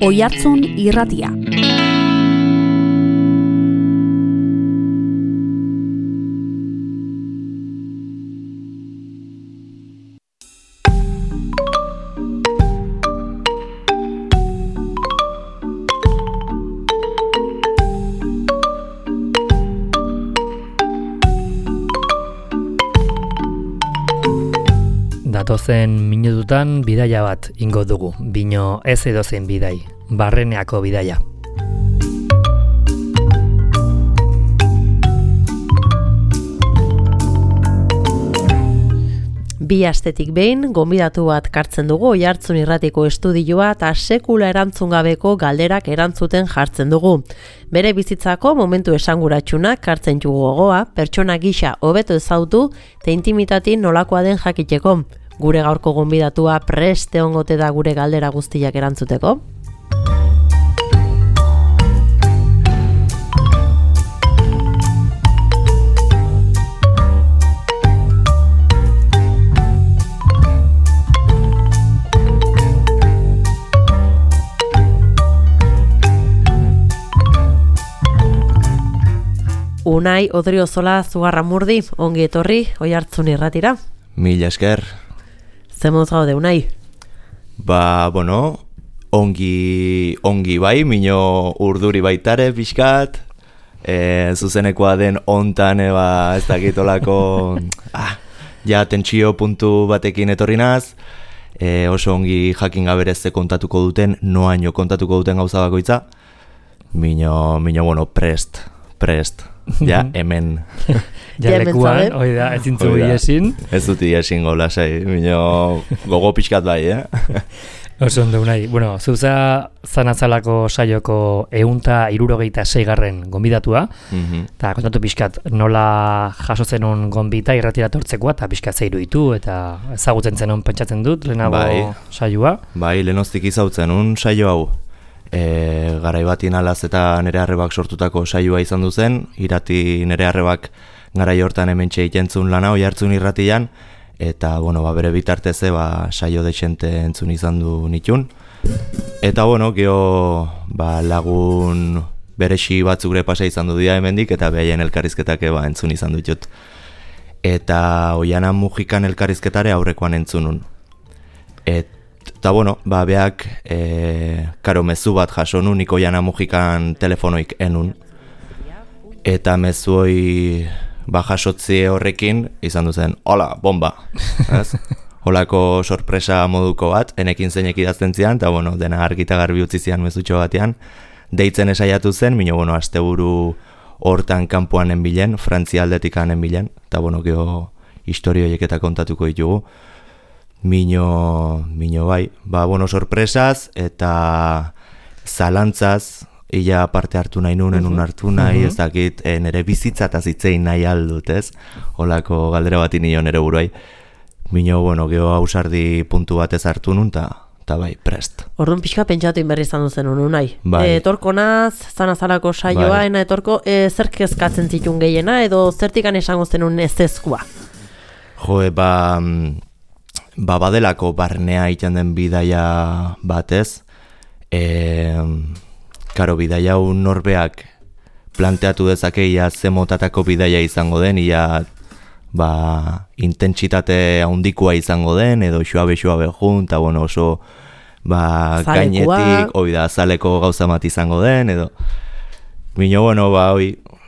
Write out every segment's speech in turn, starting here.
Oihartzun irratia. Datozen minututan bidaia bat ingo dugu, bino ez edozein bidai, Barreneako bidaia. Bi astetik behin, gonbidatu bat kartzen dugu Oihartzun irratiko estudioa eta sekula erantzun gabeko galderak erantzuten jartzen dugu. Bere bizitzako momentu esanguratsunak kartzen dugu gogoa, pertsona gisa hobeto ezautu eta intimitati nolakoa den jakiteko. Gure gaurko gonbidatua prest egongote da gure galdera guztiak erantzuteko. Unai Odriozola Zugarramurdi, ongi etorri Oihartzun irratira. Mila esker. Ze moduz gaude, Unai? Ongi bai, mino urduri baitare pixkat, zuzenekoa den ontan ez dakitolako ja tentsio puntu batekin etorri naz, oso ongi jakin gaberez ze kontatuko duten, noaino kontatuko duten gauza bakoitza, mino bueno, prest. Ja, hemen. Ja lekuan, oida, ez zintzu iesin. Ez dut iesin golasai, mino gogo pixkat bai, Oso ondo nahi. Bueno, zuza zanazalako saioko 166 gonbidatua, eta kontatu pixkat nola jaso zenun gonbita irratira tortzekoa, eta pixkat zeiru ditu, eta ezagutzen zenun pentsatzen dut, lehenago saioa. Bai, lehenoztik izautzen un saio hau. Garai batin alaz eta nere arrebak sortutako saioa izan duzen, irati nere arrebak garai hortan hementxe ikentzun lana Oihartzun irratian, eta bere bitarteze saio dexente entzun izan du nitun. Eta geho lagun beresi batzuk pasa izan du dira hemendik, eta behaien elkarrizketak entzun izan ditut. Eta Oiana Mujikan elkarrizketare aurrekoan entzunun. Eta beak karo mezu bat jaso nun, nik Oiana Mujikan telefonoik enun. Eta mezu hoi jasotzi horrekin izan duzen, hola, bomba. Holako sorpresa moduko bat, enekin zeinek idazten zian, eta dena argita garbi utzi zian mezutxo batean. Deitzen esaiatu zen, mino asteburu hortan kanpoan enbilen, Frantzia aldetikan enbilen, eta geho historio horiek kontatuko ditugu. Mino bai, sorpresaz eta zalantzaz, ia parte hartu nahi nun hartu nahi, ez dakit nire bizitza eta zitzein nahi aldut, ez? Holako galdera bat inio nire buruai. Mino, geho hausardi puntu batez hartu nun, eta bai, prest. Orduan pixka pentsatu inberri izan duzen honu nahi. Bai. Etorko naz, zanazalako saioa, ena etorko, zer kezkatzen zitun gehiena, edo zertikan esango zenun ezezkoa? Badelako barnea iten den bidaia batez, karo bidaia un norbeak planteatu dezake ia ze motatako bidaia izango den, ia intentsitate handikoa izango den, edo xuabe jun, eta oso gainetik, azaleko gauza bat izango den, edo mino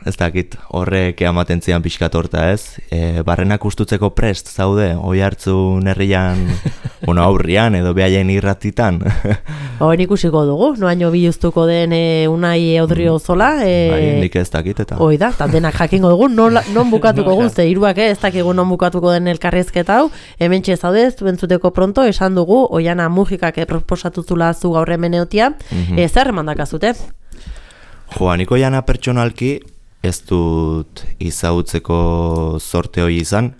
ez dakit, horrek ematen zian pixkat horta ez. Barrenak ustutzeko prest zaude, Oihartzun herrian, aurrian edo behaien irratitan. Hori ikusiko dugu, noaino biluztuko den Unai Odriozola. Nik ez dakit eta. Hoi da, denak jakingo dugu, non bukatuko guzti, iruak ez dakigu non bukatuko den elkarrizketa hau. Hementxe zaudez, bentzuteko pronto, esan dugu, Oiana Mujikak proposatu zula zu gaur hemen eotia. Zer mandakazute? Niko Oiana pertsonalki, ez dut izautzeko sorte hori izan.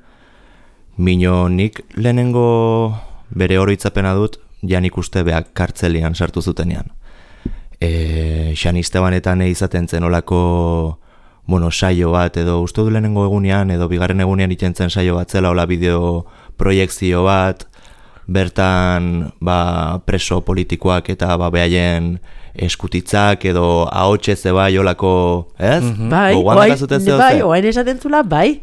Mino nik lehenengo bere oroitzapena dut, janik uste beak kartzelian sartu zutenean. Xan Istebanetan izaten zen olako saio bat, edo uste du lehenengo egunean, edo bigarren egunean iten zen saio bat zela, hola bideo proiekzio bat, bertan preso politikoak eta behaien eskutitzak edo ahotsez bai olako, ez? Bai, oain esaten zula, bai.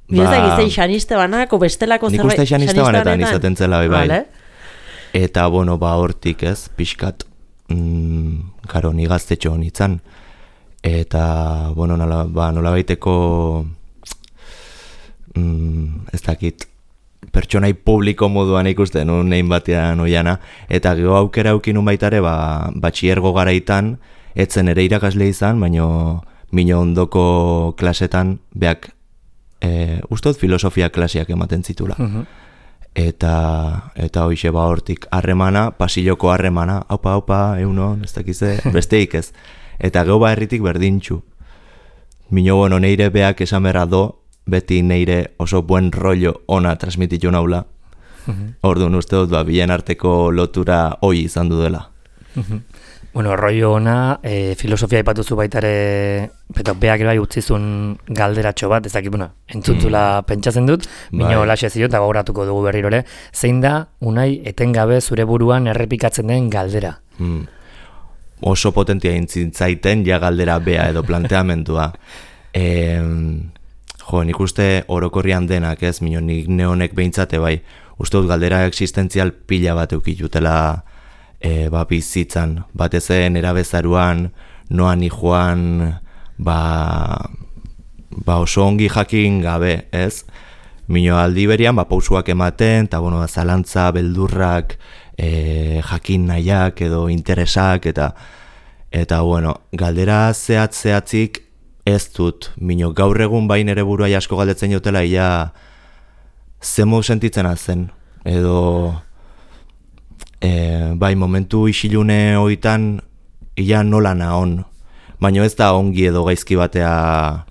Bizak izan xaniste banako, bestelako zerbait. Nik uste xaniste banetan izaten zela, bai. Eta, hortik, ez, pixkat, karo, ni gaztetxo honitzan. Eta, nola baiteko, ez dakit, pertsonai publiko moduan ikusten, nein batean oiana, eta geho aukera aukinun baitare, batxiergo garaitan, etzen ere irakasle izan, baino mino ondoko klasetan, beak, ustot filosofia klasiak ematen zitula. Eta hoixe hortik harremana, pasilloko harremana, haupa, eunon, ez dakize, besteik ez. Eta geho herritik berdintxu. Mino neire beak esan berra do, beti neire oso buen rollo ona transmititu naula. Orduan uste dut, bien arteko lotura hoi izan du dela. Rollo ona, filosofia ipatuzu baitare, beak bai utzizun galderatxo bat, ezakit, entzuntula pentsatzen dut, mino laxe zion, eta gogoratuko dugu berrirole, zein da, unai, etengabe zure buruan errepikatzen den galdera? Oso potentia intzintzaiten, ja galdera bea edo planteamentua. Nik uste orokorrian denak, ez, mino nik neonek behintzate bai, uste dut galdera existentzial pila bat eukitutela bizitzan, batezen erabezaruan, noan joan, oso ongi jakin gabe, ez? Mino aldi berian, pausuak ematen, eta zalantza, beldurrak, jakin nahiak edo interesak, eta galdera zehatzik ez dut, mino gaur egun bain ere buruai asko galdetzen jotela, ia zemo sentitzen zen, edo momentu isilune hoitan ia nola naon, baina ez da ongi edo gaizki batea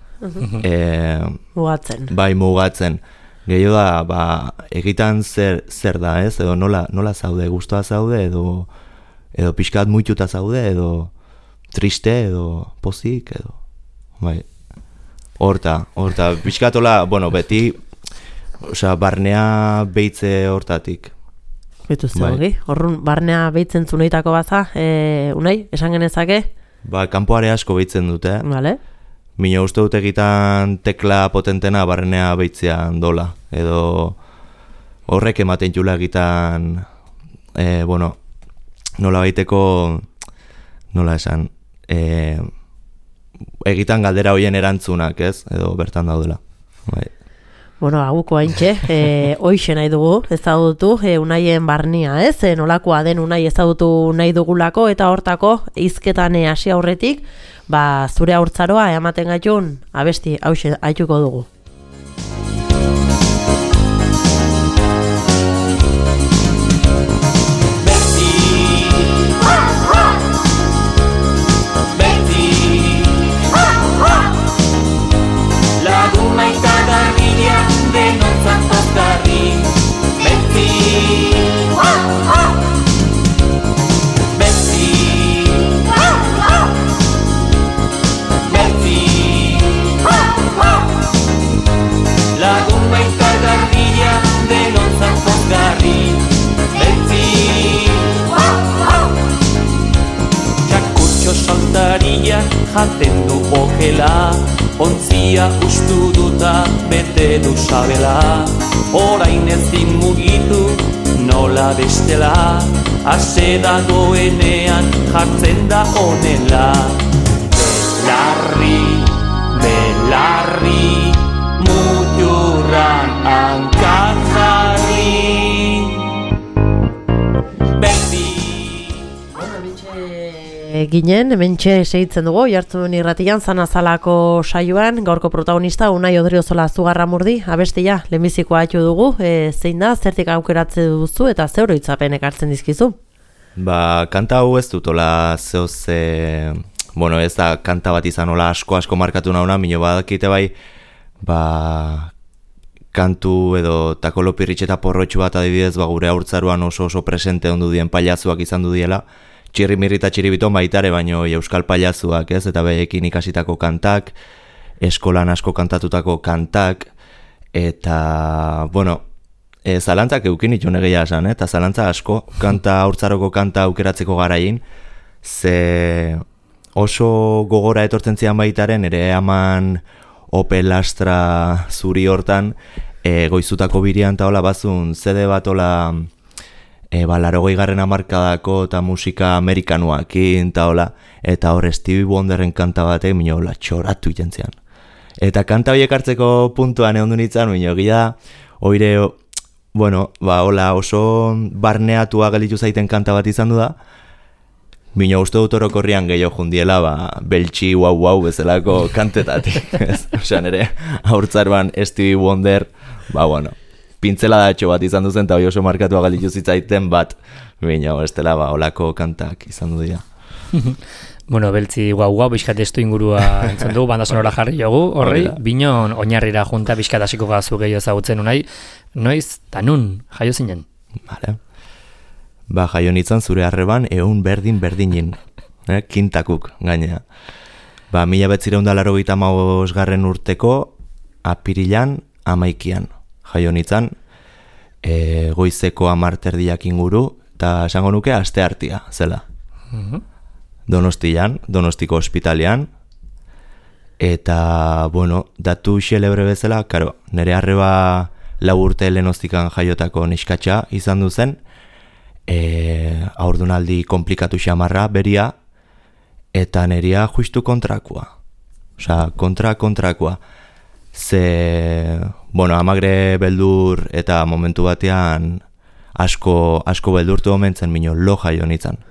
mugatzen. Gehiago da, egitan zer da, ez? Edo nola zaude, gustoa zaude, edo pixkat muituta zaude, edo triste, edo pozik, edo horta, pixkatola, beti, barnea beitze hortatik. Betuzte hogi, horrun barnea beitzen zuneitako baza, unai, esan genezake? Kanpoare asko beitzen dute. Vale. Mino uste dut egitan tekla potentena barnea beitzean dola, edo horrek ematen jula egitan, nola baiteko, nola esan, egitan galdera hoien erantzunak, ez, edo bertan daudela. Aguko haintxe, hoixe nahi dugu, ezagutu, unaien barnia, ez? Nolakoa den unai ezagutu nahi dugulako, eta hortako, hizketan hasi aurretik, zure haurtzaroa ematen gaitun, abesti, hauxe, haituko dugu. Jaten du okela, ontzia ustu duta bete du sabela. Orain ezin mugitu nola bestela, ase dagoenean jartzen da honela. Belarri, muturran hankan jarri. Ginen, hementxe segitzen dugu, jartzen irratian, Zanazalako saioan, gaurko protagonista, Unai Odriozola Zugarramurdi, abestia, lehenbizikoa haitu dugu, zein da, zertik aukeratze duzu eta zeuro itzapen ekartzen dizkizu? Kanta hau ez dutola zehoz, ez da kanta bat izan hola asko markatu nauna, mino badakite bai, kantu edo takolopirritxe eta porrotxu bat adibidez, gure haurtzaruan oso presente ondu dien pailazuak izan du diela, txirrimirri eta txiribiton baitare, baino euskal pailazuak, ez? Eta behekin ikasitako kantak, eskolan asko kantatutako kantak, eta, zalantzak eukin itun egia esan, eta zalantza asko, haurtzaroko kanta aukeratzeko garain, ze oso gogora etortzen zian baitaren, ere aman Opel Astra zuri hortan, goizutako birian eta hola bazun, zede bat hola, 80garren hamarkadako eta musika amerikanuakin eta hola, eta hor Stevie Wonderren kanta batek, mino hola, txoratu itentzian. Eta kanta horiek hartzeko puntuan egon du nintzen, mino gila, oire, bueno, hola, oso barneatua gelditu zaiten kanta bat izan du da, mino uste dut orokorrian gehiago jundiela, beltxi wow bezalako kantetatik. Osa nere, haurtzarban Stevie Wonder, bueno, pintzeladatxo bat izan duzen, eta hori oso markatua gelditu zitzaiten bat, mino, estela, olako kantak izan du dira. Bueno, beltzi guau, bizkat estu ingurua entzun dugu, banda sonora jarri jogu, horri, binon oinarrira junta bizkat hasiko gazu gehiago ezagutzen unai, noiz, eta nun, jaio zinen? Vale. Jaio nintzen zure harreban ehun berdinin, kintakuk gainea. 1985 urteko apirilan 11 jaio nintzen, goizeko 10 inguru, eta esango nuke asteartea zela. Donostiko ospitalean, eta, bueno, datu xelebre bezala, karo, nire arreba 4 urte lehenoztikan jaiotako neskatxa izan duzen, aurdunaldi komplikatu xamarra, beria, eta neria justu kontrakoa. Osa, kontrakoa. Ze, bueno, amagre beldur eta momentu batean asko beldurtu omentzen mino lo jaio nintzen.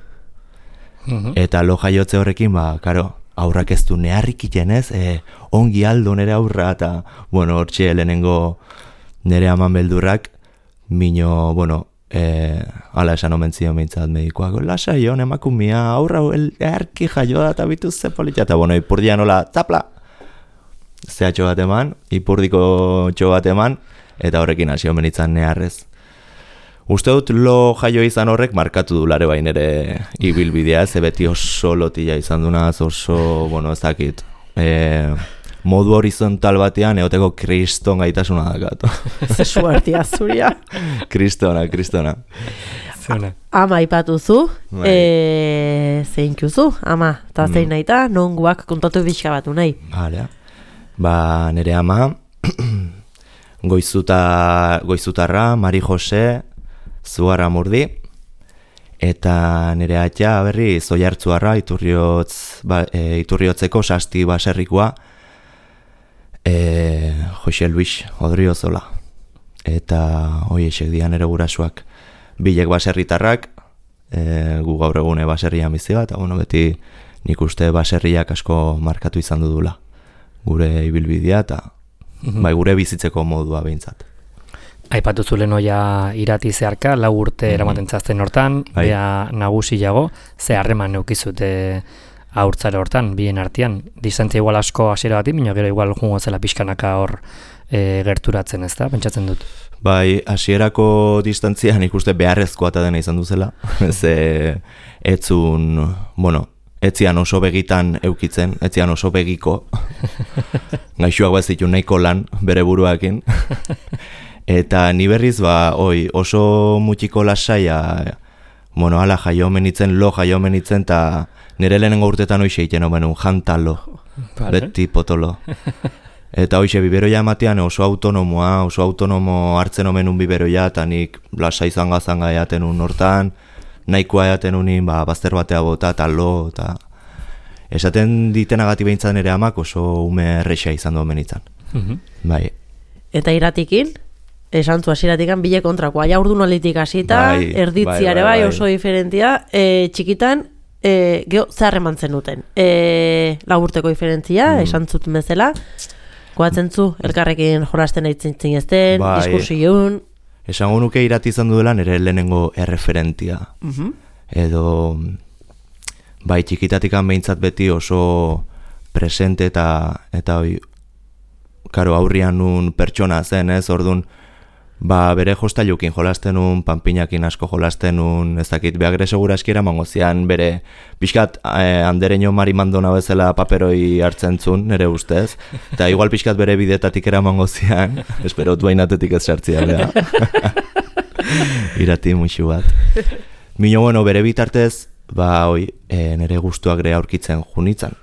Eta lo jaiotze horrekin, karo, aurrak ez du neharrik itenez, ongi aldo nere aurra, eta, bueno, hortxe lehenengo nere aman beldurrak, mino, bueno, ala esan omentzio mintzat medikoak, lasa joan emakumia, aurra erki jaio da eta bituz ze politia, eta bueno, ipurdian hola, zapla, zehatxo bat eman, ipurdiko txo bat eman, eta horrekin hasi omenitzan neharrez. Uste dut lo jaio izan horrek markatu du lare bain ere ibilbidea, ze beti oso lotila izan dunaz, oso, bueno, ez dakit, modu horizontal batean eoteko kriston gaitasuna dakatu. Zesu artia zuria. Kristona. Ama ipatuzu, zeintxuzu, ama, eta zein nahi eta nonguak kontatu bizka batu nahi. Vale. Nere ama, goizutarra, Mari Jose, Zuara Murdi, eta nere atia berri Zoiartzuarra, Iturriotzeko Sasti baserrikoa, Jose Luis Odriozola. Eta hoi esek dian ere gurasuak bilek baserritarrak, gu gaur egune baserrian bizia, eta bueno, beti nik uste baserriak asko markatu izan dudula. Gure ibilbidea eta gure bizitzeko modua behintzat. Aipatu zulen oia irati zeharka, 4 urte eramaten zazten hortan, bea nagusiago, ze harreman neukizute haurtzara hortan, bien artean. Distantzia igual asko hasiera bati, baina gero igual jungo zela pixkanaka hor gerturatzen, ez da? Pentsatzen dut. Bai, hasierako distantzia nik uste beharrezkoa eta dena izan duzela. Ze etzun, bueno, etzian oso begitan eukitzen, etzian oso begiko. Gaixuak bazitu nahiko lan bere buruakin. Eta ni berriz oso mutxiko lasaia, bueno, ala jaio menitzen, lo jaio menitzen, eta nire lehenengo urtetan hoxe iten omen jantalo, beti potolo. Eta hoxe biberoia ematean oso autonomo hartzen omen biberoia, eta nik lasai zanga eaten hortan, nahikoa eaten unin, bazter batea bota, eta lo, eta esaten ditenagati behintzat nire amak oso ume errexea izan du omen izan. Bai. Eta iratikin? Esan zu hasieratikan bile kontrakoa, ja urdunalditik hasita, erditziare bai oso diferentia, txikitan, geho zeharreman zenuten. 4 urteko diferentzia, esan zuten bezala, goatzen zu, elkarrekin jolasten eitzen zinezten, diskursioun. Esango nuke irati izan duela nire lehenengo erreferentia. Edo, bai txikitatikan behintzat beti oso presente eta karo aurrian nun pertsona zen, ez, orduan, Bere jostailukin jolasten un, panpinakin asko jolasten un, ez dakit, behagre segura eskiera mangozian, bere pixkat andereño marimandona bezala paperoi hartzen zun, nire ustez, eta igual pixkat bere bidetatik era mangozian, espero duainatetik ez sartzia, beha. Irati muixu bat. Mino, bueno, bere bitartez, nire gustuak ere aurkitzen junitzen.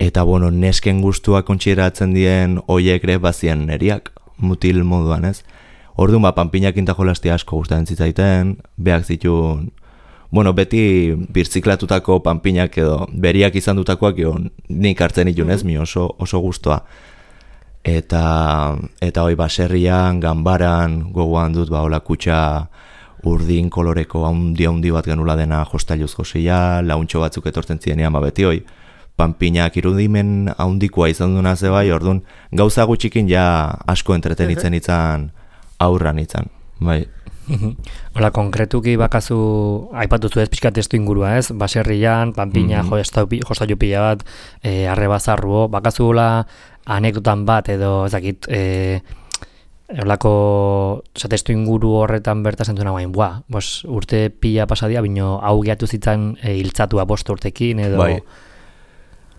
Eta bueno, nesken gustuak kontsideratzen dien hoiek ere bazien neriak, mutil moduan, ez? Orduan, panpinakin ta jolastia asko gustatzen zitzaiten, beak zituen, bueno, beti birziklatutako panpinak edo beriak izan dutakoak nik hartzen itun, ez? Mi oso gustoa. Eta baserrian, ganbaran, gogoan dut, hola kutxa urdin koloreko haundi bat genula dena jostailuz josia, launtxo batzuk etortzen zirenean, beti panpinak irudimen haundikoa izan duna zebai, orduan gauza gutxikin ja asko entretenitzen itzan aurran itzan, bai. Hola, konkretuki bakazu, aipatuzu ez pixka testu ingurua, ez? Baserrian, panpina, jostailu pila bat, arrebazarruo, bakazu anekdotan bat edo, ezakit, holako testu inguru horretan berta zentu nagoen, urte pila pasadia, bino hau gehiatu zitzan hiltzatua 5 urtekin edo... Bai.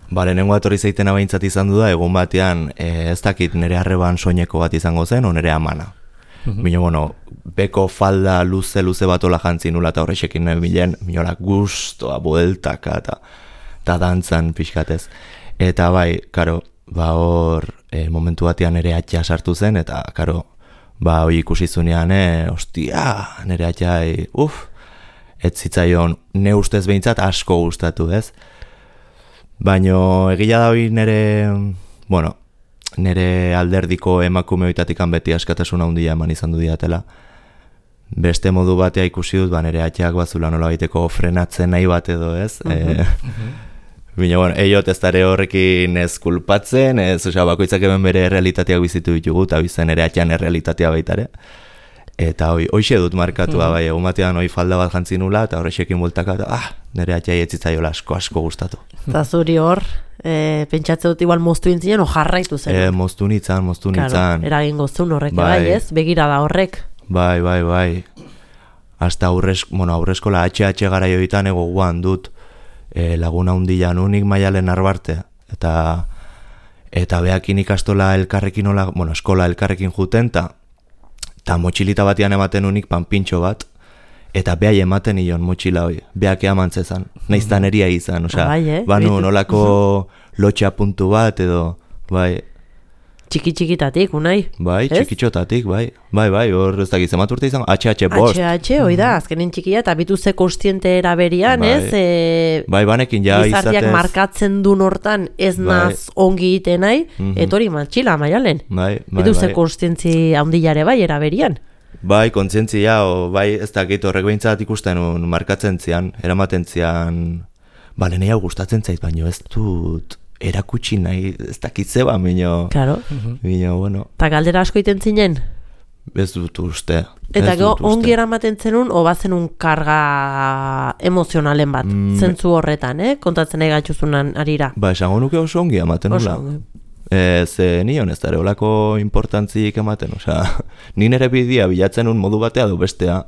Lehenengo atorri zeiten abaintzat izan du da, egun batean ez dakit nire arreban soineko bat izango zen, o nire amana. Bino, bueno, beko falda luze bat ola jantzi nula eta horrexekin nahi bilen, minola gustoa, bueltaka eta dantzan pixkatez. Eta bai, karo, hor momentu batean nire atxa sartu zen, eta karo, hoi ikusi zunean, ostia, nire atxai, ez zitzaion, ne ustez behintzat asko gustatu, ez? Baina egia da hori nire alderdiko emakume hoitatikan beti askatasun handia eman izan du diatela. Beste modu batea ikusi dut, nire atxeak bazula nola baiteko frenatzen nahi bat edo, ez? Bina, eiot ez dara horrekin ez kulpatzen, bakoitzak hemen bere realitateak bizitu ditugu, eta bizen ere atxean errealitatea baitare. Eta hoxe dut markatua, bai, egun batean hoi falda bat jantzi nula, eta horrexekin bultaka, eta nire atxai etzitzaiola asko gustatu. Eta zuri hor, pentsatze dut igual moztu intzinen, o jarraitu zen? Moztu nintzen. Claro, eragin gozun horrek, bai, ez? Begira da horrek. Bai. Hasta aurreskola HH gara joitan ego guan dut laguna hundian unik Maialen Arbarte. Eta behakin ikastola elkarrekin, eskola elkarrekin juten, eta motxilita batian ematen unik panpintxo bat, eta behai ematen ion motxila hoi, behak eamantzezan, naiztan eria izan, banu nolako lotxa puntu bat edo, bai. Txiki-txikitatik, unai? Bai, txikitxotatik, bai, hor ez dakiz emat urte izan, HH5. HH, hoi da, azkenen txikia, eta bitu ze kostiente eraberian, ez? Bai, banekin ja izatez. Gizartiak markatzen dun hortan ez naz ongi ite nahi, etori matxila, Maialen. Bai. Bitu ze kostientzi handilare bai eraberian. Bai, kontzientzia, bai, ez dakit horrek behintzat ikusten markatzen zian, eramaten zian, nahi hau gustatzen zait, baino ez dut erakutsi nahi, ez dakitze ba, mino. Claro. Mino, bueno. Ta galdera asko iten zinen? Ez dut uste. Eta ongi eramaten zenun, o bazenun karga emozionalen bat, zentzu horretan, kontatzen nahi gatzuzunan arira. Ba, esango nuke oso ongi ematen nula. Ze nion ez dara olako importantzik ematen, ni nire bidea bilatzen un modu batea du bestea,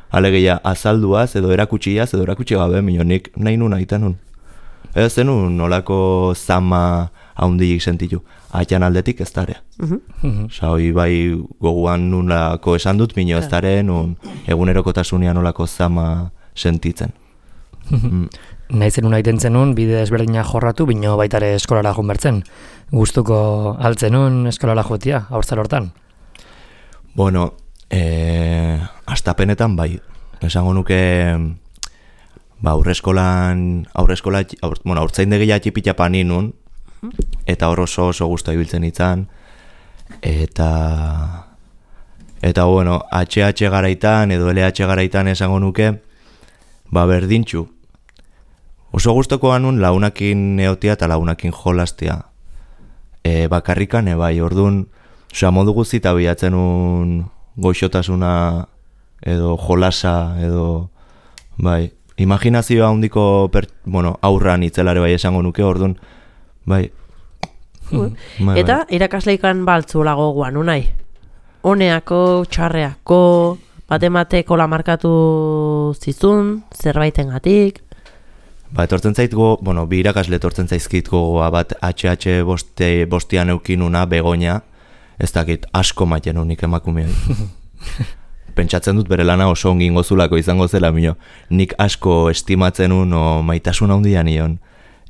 alegeia azalduaz edo erakutxiaz edo erakutsi gabe, nik nahi nun aiten nun. Ez zenun olako zama haundik sentitu, atxan aldetik ez dara. Hoi bai goguan nunlako esan dut, mino ez dara nun egunerokotasunean olako zama sentitzen. Nahi zenun aiten zenun, bide ezberdina jorratu, bino baitare eskolara jonbertzen. Gustuko altzenun eskolara jotia, haurtzar hortan? Bueno, astapenetan bai. Esango nuke, aurtzaindegia txipita paninun, eta hor oso gustu ibiltzen itzan, eta bueno, HH garaitan edo LH garaitan esango nuke, berdintxu. Oso gustukoa nun launakin neotia eta launakin jolastia. Bakarrikan, bai, orduan, modu guztita bilatzen un goixotasuna edo jolasa edo, bai, imaginazioa handiko aurran itzelare bai esango nuke, orduan, bai, Eta irakasleikan baltzula goguan, unai? Honeako, txarreako, batemateko lamarkatu zizun, zerbaitengatik? Etortzen zait bi irakasle etortzen zaizkit gogoa bat HH bostian eukinuna Begoña, ez dakit asko maiten unik emakumeai. Pentsatzen dut bere lana oso ongi ingozulako izango zela, nik asko estimatzen maitasun handia nion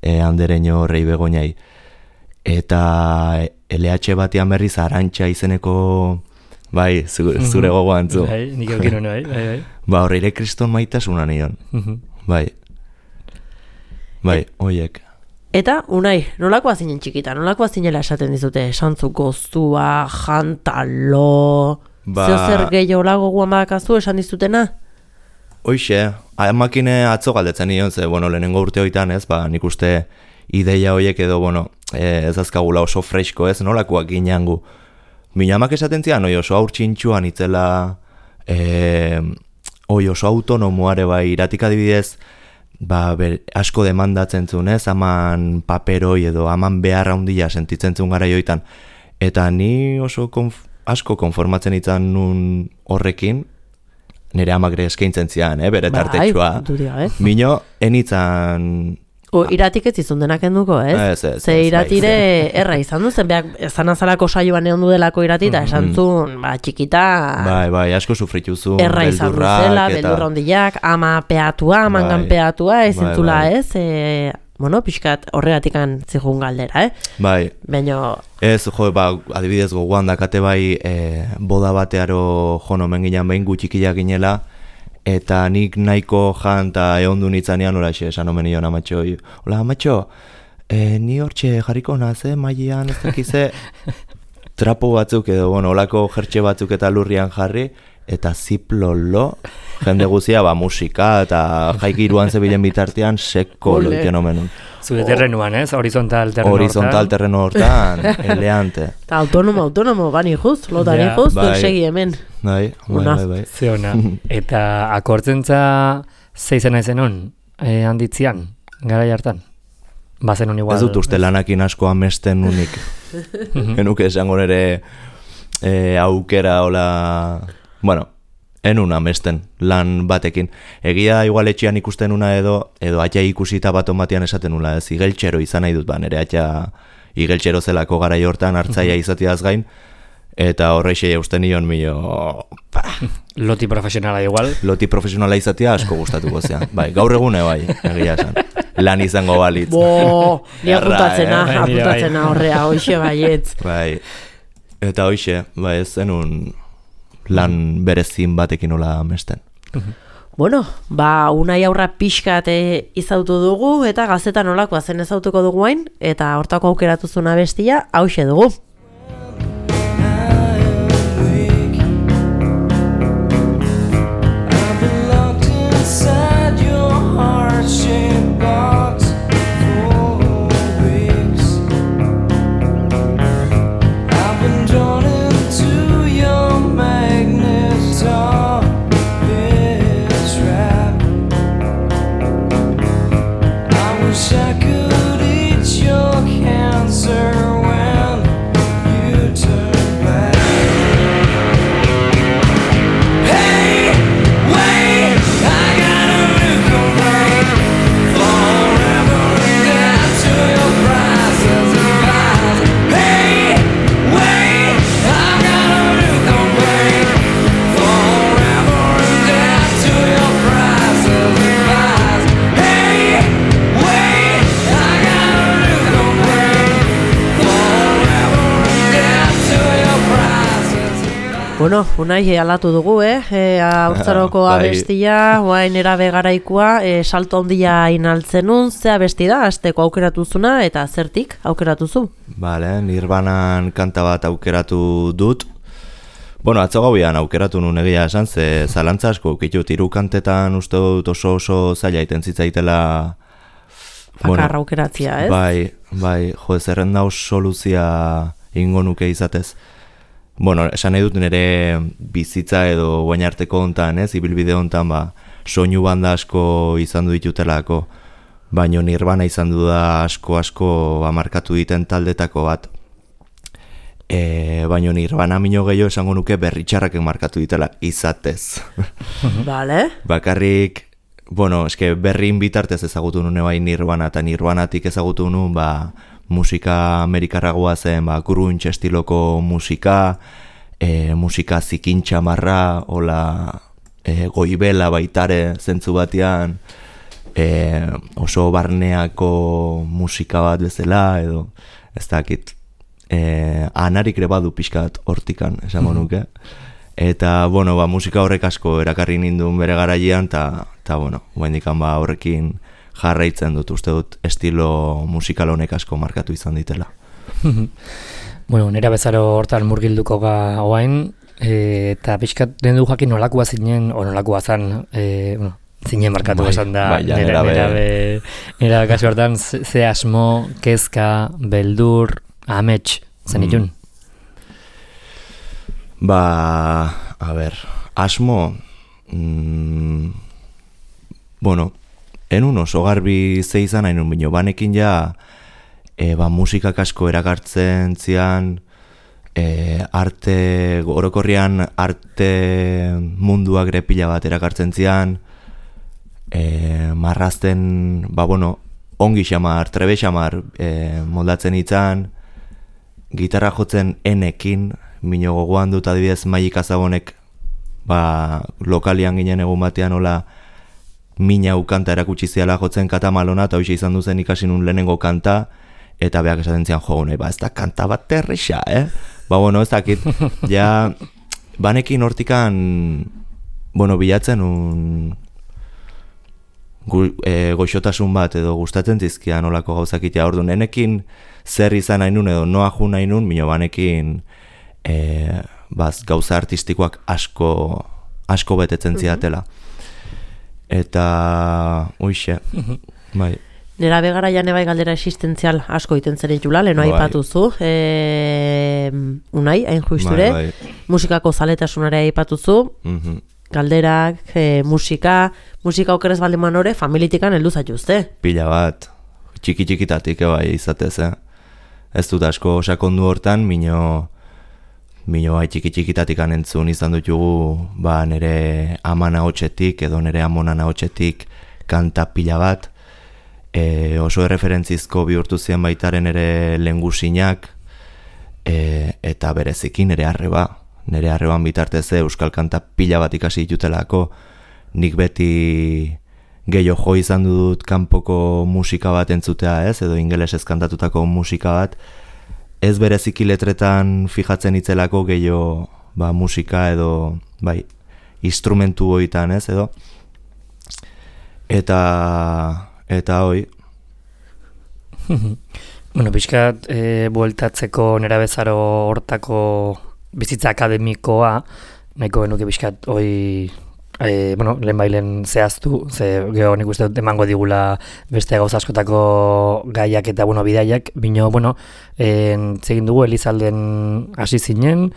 andereño rei Begoñai. Eta LH batean berriz Arantxa izeneko, zure gogoa antzu. Nik eukin hona, Horreire kriston maitasuna nion. Oiek. Eta, unai, nolakoa zinen txikita, nolakoa zinela esaten dizute, esantzu goztua, jantalo, zer gehiago lago guan badakazu esan dizutena? Hoixe, amakine atzo galdetzen nion, lehenengo urte hoitan nik uste ideia hoiek edo, ez azkagula oso fresko nolakoak gineangu. Mina amak esaten zian, oso aurtsintxuan itzela, oso autonomoare iratik adibidez, asko demandatzen zuen, haman paperoi edo haman beharra handia sentitzen zuen gara joitan. Eta ni oso asko konformatzen izan nun horrekin, nire amak eskaintzen zian, bere tartetxua. Mino, enitzan... Iratik ez izun denak enduko, ez? Ze iratire erra izan duzen, ezan azalako saioan egon dudelako irati, eta esan zuen, txikita... asko sufrituzu, erra izan duzela, beldurra ondiak, ama peatua, amangan peatua, ez zintzula, ez? Pixkat horregatikan zihun galdera, Baina... Ez, adibidez gogoan dakate boda batearo jonomen ginen behin gutxikiak ginela, eta nik nahiko jan eta ehondu nitzanean oraxe esan omen nion amatxoi. Hola, amatxo, ni hortxe jarriko naz, mailean ez dakize trapo batzuk edo, olako jertxe batzuk eta lurrian jarri, eta ziplolo, jende guzia, musika eta jaikiruan zebilen bitartean seko loiten omenun. Zure terrenuan, ez? Horizontal terreno hortan. Horizontal terreno hortan, eleante. Eta autonomo, bani juz, lotani juz, segi hemen. Bai. Zeona. Eta akortzentza zeizena ezenon, handitzian, gara jartan? Bazen hon igual... Ez dut uste lanakin asko amesten unik. Genuke esango nere aukera, enun amesten lan batekin. Egia igual etxean ikusten una edo atxa ikusita bat onbatean esaten nula, ez igeltxero izan nahi dut, nere atxa igeltxero zelako garai hortan hartzaia izatiaz gain, eta horreixe usten nion Loti profesionala igual. Loti profesionala izatea asko gustatuko zean. Gaur egune egia esan. Lan izango balitz. Ni apuntatzena horrea, hoxe baietz. Eta hoxe, ez zenun lan berezin batekin nola amesten. Unai aurra pixkat izautu dugu, eta gazeta nolakoa zen ezautuko dugu hain, eta hortako aukeratu zuna bestia, hauxe dugu. Unai alatu dugu, haurtzaroko abestia, guain erabe garaikoa, salto handia inaltzenun, ze abesti da, azteko aukeratuzuna, eta zertik aukeratuzu? Nirvanan kanta bat aukeratu dut. Atzo gauian aukeratu nun egia esan, ze zalantza asko ukitut, hiru kantetan uste dut oso zaila iten zitzaitela... Bakarra aukeratzia, ez? Zerren dauz soluzia ingo nuke izatez. Esan nahi dut nire bizitza edo guain arteko hontan, ibilbide hontan, soinu banda asko izan du ditutelako. baino Nirvana izan du da asko markatu diten taldetako bat. Baino Nirvana mino gehiago esango nuke berritxarraken markatu ditela izatez. Vale. Bakarrik, eske berrin bitartez ezagutu nune bai Nirvana, eta Nirvanatik ezagutu nun, musika amerikarragoa zen, grunge estiloko musika, musika zikintxamarra, hola goibela baitare zentzu batean, oso barneako musika bat bezala, edo ez dakit, anarik ere badu pixkat hortikan, esango nuke. Eta, musika horrek asko erakarri nindun bere garaian, eta, guendikan horrekin jarraitzen dut, uste dut estilo musikal honek asko markatu izan ditela. Nera bezaro hortan murgilduko ga oain, eta pixkat den du jakin nolakoa zinen, o nolakoa zan, zinen markatu esan da, nera kasu hortan, ze asmo, kezka, beldur, amets, zen itun? Asmo, enun oso garbi ze izan hainun bino, banekin ja, musikak asko erakartzen zian, arte, orokorrian arte munduak ere pila bat erakartzen zian, marrazten, ongi xamar, trebe xamar moldatzen itzan, gitarra jotzen enekin, mino gogoan dut adibidez Maik Azabonek lokalian ginen egun batean hola mina ukanta erakutsi ziala jotzen katamalona, eta hoxe izan duzen ikasi nun lehenengo kanta, eta beak esaten zian nahi, ez da kanta bat terrixa, ez dakit, ja, banekin hortikan, bilatzen goxotasun bat edo gustatzen zizkian olako gauzakitea, orduan, enekin zer izan nahi nun edo noa ju nahi nun, mino banekin gauza artistikoak asko betetzen ziatela. Eta, uixe, bai. Nera begara jane bai galdera existentzial asko iten zen itula, leheno aipatuzu, unai, hain juisture, musikako zaletasunare aipatuzu, galderak, musika okerez baldin manore, familitikan heldu zaituzte. Pila bat, txiki-txikitatik bai izatez, Ez dut asko sakondu hortan, mino bai txiki-txikitatik entzun izan dutugu, nere amana hotxetik edo nere amonana hotxetik kanta pila bat, oso erreferentzizko bihurtu zian baitaren ere lengusinak, eta berezikin nere arreban bitartez euskal kanta pila bat ikasi ditutelako, nik beti gehiago jo izan dut kanpoko musika bat entzutea edo ingelesez kantatutako musika bat, ez bereziki letretan fijatzen itzelako gehiago musika edo instrumentu hoitan edo, eta hoi. Pixkat bueltatzeko nera bezaro hortako bizitza akademikoa, nahiko genuke pixkat hoi lehen bailen zehaztu, ze geho nik uste dut emango digula beste gauza askotako gaiak eta bidaiak, bino, zegin dugu Elizalden hasi zinen,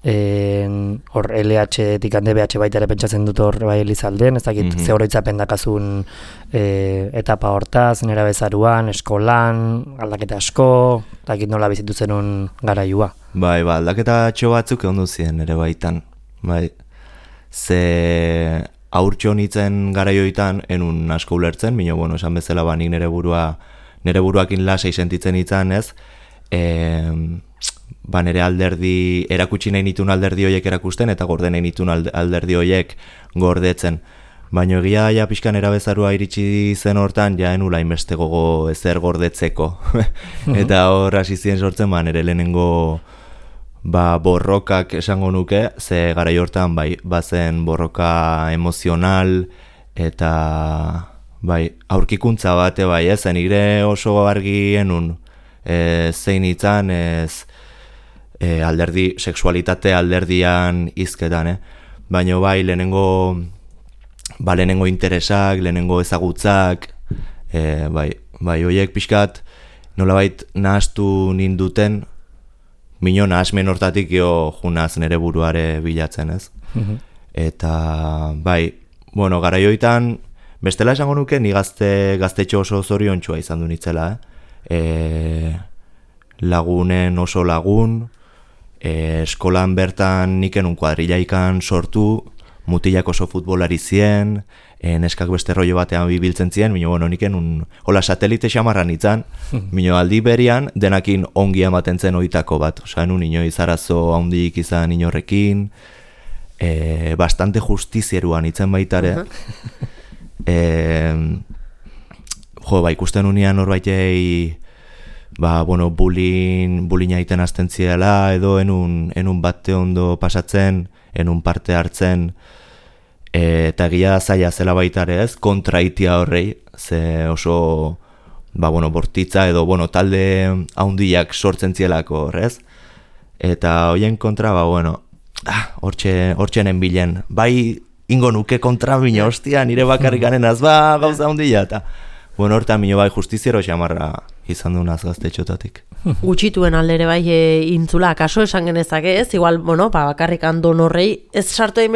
hor LH-tik DBH baita ere pentsatzen dut hor Elizalden, ez dakit ze oroitzapen dakazun etapa hortaz, nera bezaruan, eskolan, aldaketa asko, ez dakit nola bizitu zenun garaiua. Aldaketa atxo batzuk egon duzien ere baitan, ze aurtxo nitzen garaioitan enun asko ulertzen, mino, esan bezala nik nere buruakin lasai sentitzen itzan, ez? Nere alderdi, erakutsi nahi nitun alderdi hoiek erakusten, eta gorde nahi nitun alderdi hoiek gordetzen. Baina egia ja pixkan erabezarua iritsi zen hortan, ja enula inbeste gogo ezer gordetzeko. Eta hor hasi ziren sortzen, nere lehenengo borrokak esango nuke, ze garai hortan bazen borroka emozional eta aurkikuntza bate zen nire oso argi enun zein itzan ez alderdi, sexualitate alderdian izketan, baina lehenengo interesak, lehenengo ezagutzak, hoiek pixkat nolabait nahaztu ninduten, mino nahasmen hortatik junaz nere buruare bilatzen, ez? Eta, garaioitan Bestela esango nuke, ni gaztetxo oso zoriontxua izan du nitzela, lagunen oso lagun, eskolan bertan niken un kuadrillaikan sortu, mutilak oso futbolari zien, neskak beste rollo batean bibiltzen zien, bueno, niken hola satelite xamarran itzan, aldi berian denakin ongi ematen zen oitako bat, osea, enun inoiz arazo handik izan inorrekin, bastante justizieruan itzen baitare, ikusten unian norbaitei, bullying egiten hasten ziela, edo enun bate ondo pasatzen, enun parte hartzen, eta egia zaila zela baitare ez, kontraitia horrei, ze oso, bortitza edo, talde haundiak sortzen zielako horrez, eta hoien kontra, hortxenen bilen, bai ingo nuke kontra bine, hostia, nire bakarrik ganenaz, gauza haundia, eta hortan bai justiziero xamarra izan dunaz gaztetxotatik. Gutxituen aldere bai intzula, kaso esan genezake ez, igual, bakarrik andon horrei, ez sartu egin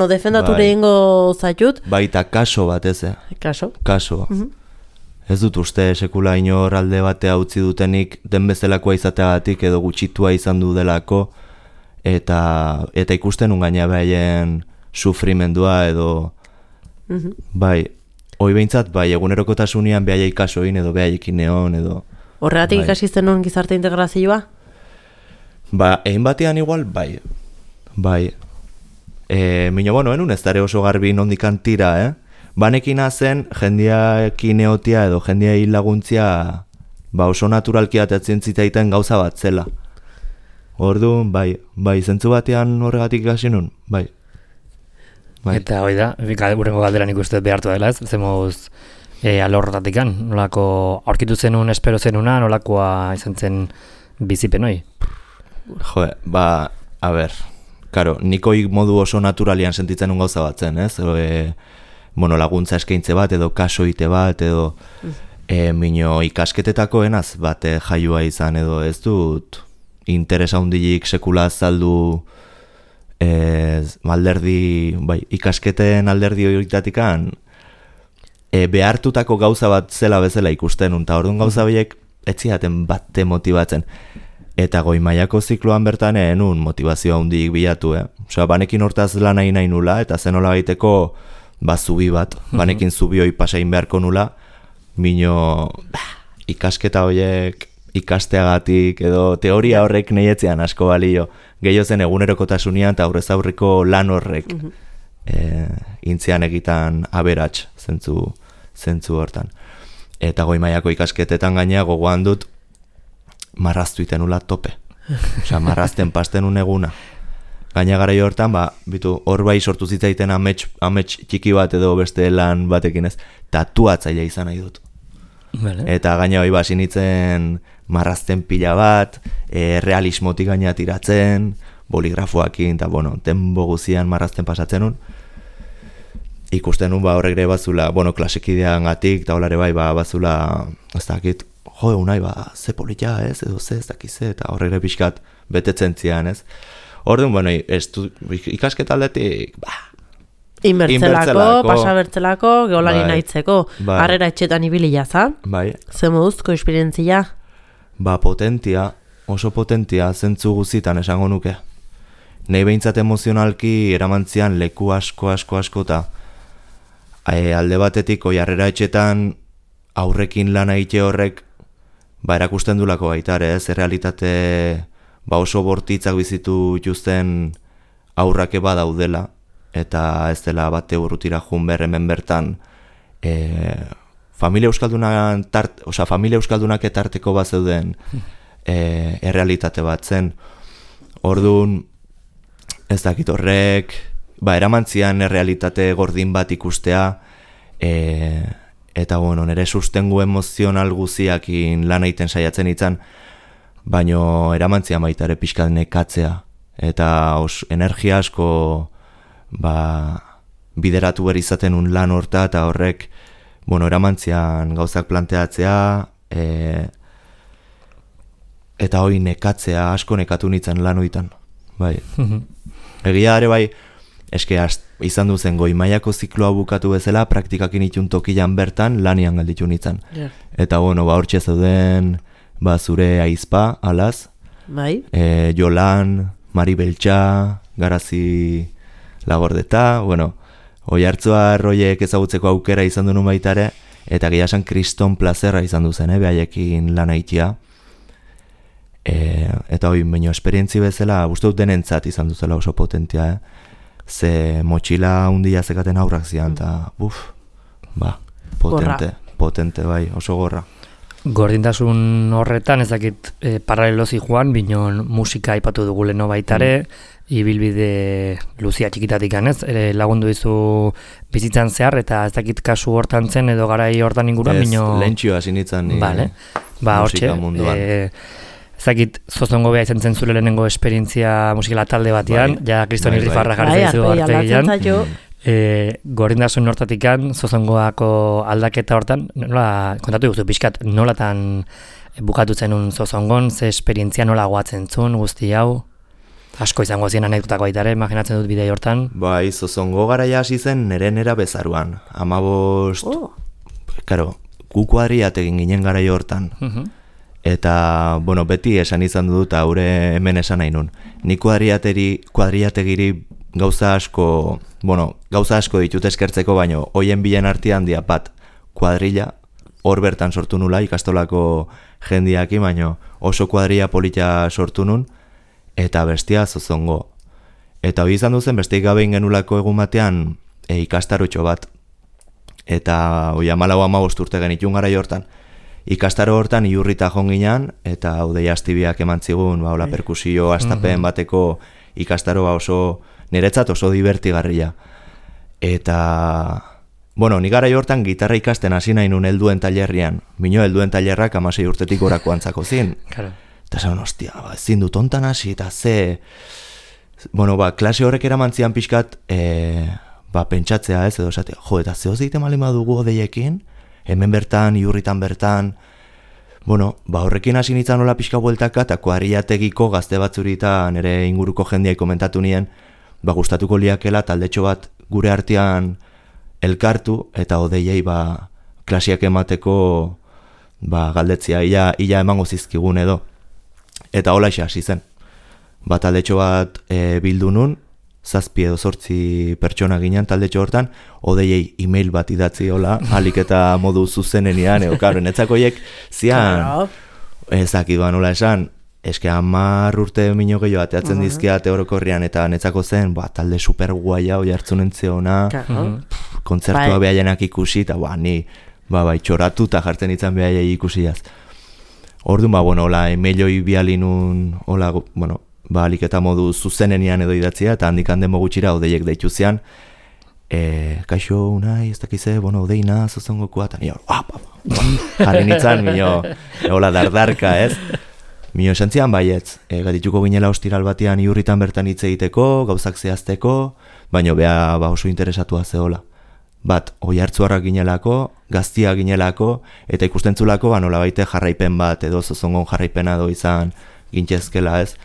defendature ingo zaitut. Baita kaso bat ez, Kaso? Kaso. Ez dut uste sekula inor alde batea utzi dutenik den bezalakoa izateagatik edo gutxitua izan du delako, eta ikusten ungaina behaien sufrimendua edo, hoi behintzat, egunerokotasunean behaiek kasoin edo behaiek neon edo... Horregatik ikasi zenun gizarte integrazioa? Egin batean igual, bai. Enun ez dara oso garbi nondikan tira, Banekina zen, jendeakin eotia edo jendea hil laguntzia oso naturalki atatzen zitaiten gauza bat zela. Orduan, zentzu batean horregatik ikasi nun, bai. Eta hoi da, urrengo galderan ikusten behartu dela ez, zemuz alorrotatikan, nolako aurkitu zenun, espero zenuna, nolakoa izan zen bizipen hoi? A ber, karo, nikoi modu oso naturalian sentitzen un gauza bat zen, ez? Laguntza eskaintze bat, edo kasoite bat, edo ikasketetako enaz bate jaioa izan, edo ez dut interesa hundilik sekula azaldu ikasketen alderdi horietatikan behartutako gauza bat zela bezala ikusten, eta orduan gauza horiek etziaten bate motibatzen. Eta goi mailako zikloan bertan enun motivazioa hundik bilatu, Osea, banekin hortaz lan nahi nula, eta zenola baiteko zubi bat, banekin zubi hoi pasain beharko nula, ikasketa horiek ikasteagatik, edo teoria horrek nahietzean asko balio, gehiago zen egunerokotasunean eta aurrez aurreko lan horrek intzian egitan aberats zentzu hortan. Eta goi mailako ikasketetan gainea gogoan dut marraztu iten nula tope. Osea, marrazten pasten eguna. Gaina gara hortan, hor bai sortu zitzaiten amets txiki bat edo beste lan batekin ez, tatuatzailea izan nahi dut. Eta gaina hoi sinitzen marrazten pila bat, realismotik gaina tiratzen, boligrafoakin, eta tempo guzian marrazten pasatzen nun. Ikusten nun horrek ere bazula, klasekidean gatik, eta holare bai bazula, ez dakit, unai ze polita ez, edo ze ez dakize, eta horrek ere pixkat betetzen zian ez. Orduan, ikasketa aldetik, Inbertzelako, pasabertzelako, geolari nahitzeko, harrera etxetan ibili jaza. Ze moduzko esperientzia? Potentia, oso potentia, zentzu guzitan esango nuke. Nei behintzat emozionalki eramantzian leku asko, eta alde batetik harrera etxetan aurrekin lan egite horrek erakusten dulako baitare, ez errealitate oso bortitzak bizitu ituzten aurrake badaudela, eta ez dela bate urrutira jun hemen bertan familia euskaldunak etarteko bat zeuden errealitate bat zen. Orduan, ez dakit horrek, eramantzian errealitate gordin bat ikustea, eta nire sustengu emozional guziakin lan egiten saiatzen itzan, baino eramantzian baita ere pixkat nekatzea, eta energia asko bideratu behar izaten un lan horta, eta horrek eramantzian gauzak planteatzea, eta hoi nekatzea, asko nekatu nintzen lan hoitan. Egia ere eske izan duzen goi mailako zikloa bukatu bezala, praktikakin itun tokian bertan lanian galditu nintzen. Yeah. Eta hortxe zeuden zure aizpa, alaz, Bai. Jolan, Mari Beltxa, Garazi Lagordeta, Oihartzua roiek ezagutzeko aukera izan duen baitare, eta gehiasan kriston plazerra izan duzen, behaiekin lan aitia. Eta baino esperientzi bezala, uste dut denentzat izan duzela oso potentia, Ze motxila hundia zekaten aurrak zian, eta potente, bai, oso gorra. Gordintasun horretan, ez dakit paralelozi joan, binon musika aipatu dugu leno baitare, ibilbide luzia txikitatik ganez, lagundu dizu bizitzan zehar, eta ez dakit kasu hortan zen edo garai hortan inguruan, bino... Lentxio hasi nintzen musika munduan. Ezakit Zozongo bea izan zen zure lehenengo esperientzia musikala talde batean, ja Kriston Irrifarra jarri zaizu artegian. Gordintasun hortatikan, Zozongoako aldaketa hortan, nola, kontatu duzu pixkat, nolatan bukatu zenun Zozongon, ze esperientzia nola guatzen zuen guzti hau? Asko izango zien anekdotako baitare, imaginatzen dut bidei hortan. Bai, Zozongo garaia hasi zen nera bezaruan. 15, gu kuadriat egin ginen garai hortan. Eta, beti esan izan dut, haure hemen esan nahi nun. Ni kuadriategiri gauza asko ditut eskertzeko, baino, hoien bilen artean dia bat kuadrilla, hor bertan sortu nula, ikastolako jendiaki, baino oso kuadrilla polita sortu nun, eta bestia Zozongo. Eta hori izan duzen, besteik gabe ingenulako egun batean ikastarotxo bat. Eta hori 14-15 urte genitun gara hortan. Ikastaro hortan iurrita jonginan, eta Udei Astibiak eman zigun, perkusio astapen bateko ikastaro oso, niretzat oso divertigarria. Eta, ni gara hortan gitarra ikasten hasi nahi nun helduen tailerrian. Mino helduen tailerrak 16 urtetik gorako antzako zin. Eta zan, ostia, ezin dut ontan hasi, eta ze... klase horrek eraman zian pixkat, pentsatzea ez, edo esatea, eta zehoz egiten malin badugu Odeiekin, hemen bertan, iurritan bertan, horrekin hasi nintzen nola pixka bueltaka, eta kuadriategiko gazte batzurita nire inguruko jendiai komentatu nien, gustatuko liakela taldetxo bat gure artean elkartu, eta Odeiei klasiak emateko galdetzia, ia emango zizkigun edo. Eta hola hasi zen. Taldetxo bat bildu nun, 7 edo 8 pertsona ginen taldetxo hortan, Odeiei email bat idatzi hola, alik eta modu zuzenean, netzakoiek zian, ezakit nola esan, eske 10 urte mino gehiago ateatzen dizkiate orokorrian, eta netzako zen, talde super guaia, oi hartzunen zeona, kontzertua behaienak ikusi, eta ni txoratu eta jartzen itzan behaiei ikusiaz. Orduan, hola, emailoi bialinun, hola, alik eta modu zuzenean edo idatzia, eta handik demo gutxira Odeiek deitu zian, kaixo, unai, ez dakize, Odeina, Zozongokua, eta nio, jarri nintzen, hola, dardarka, ez? Mio esan zian baietz, gatituko ginela ostiral batean iurritan bertan hitz egiteko, gauzak zehazteko, baina beha oso interesatua zehola. Oihartzuarrak ginelako, gaztia ginelako, eta ikustentzulako, nola baite jarraipen bat, edo Zozongon jarraipena edo izan gintzezkela, ez?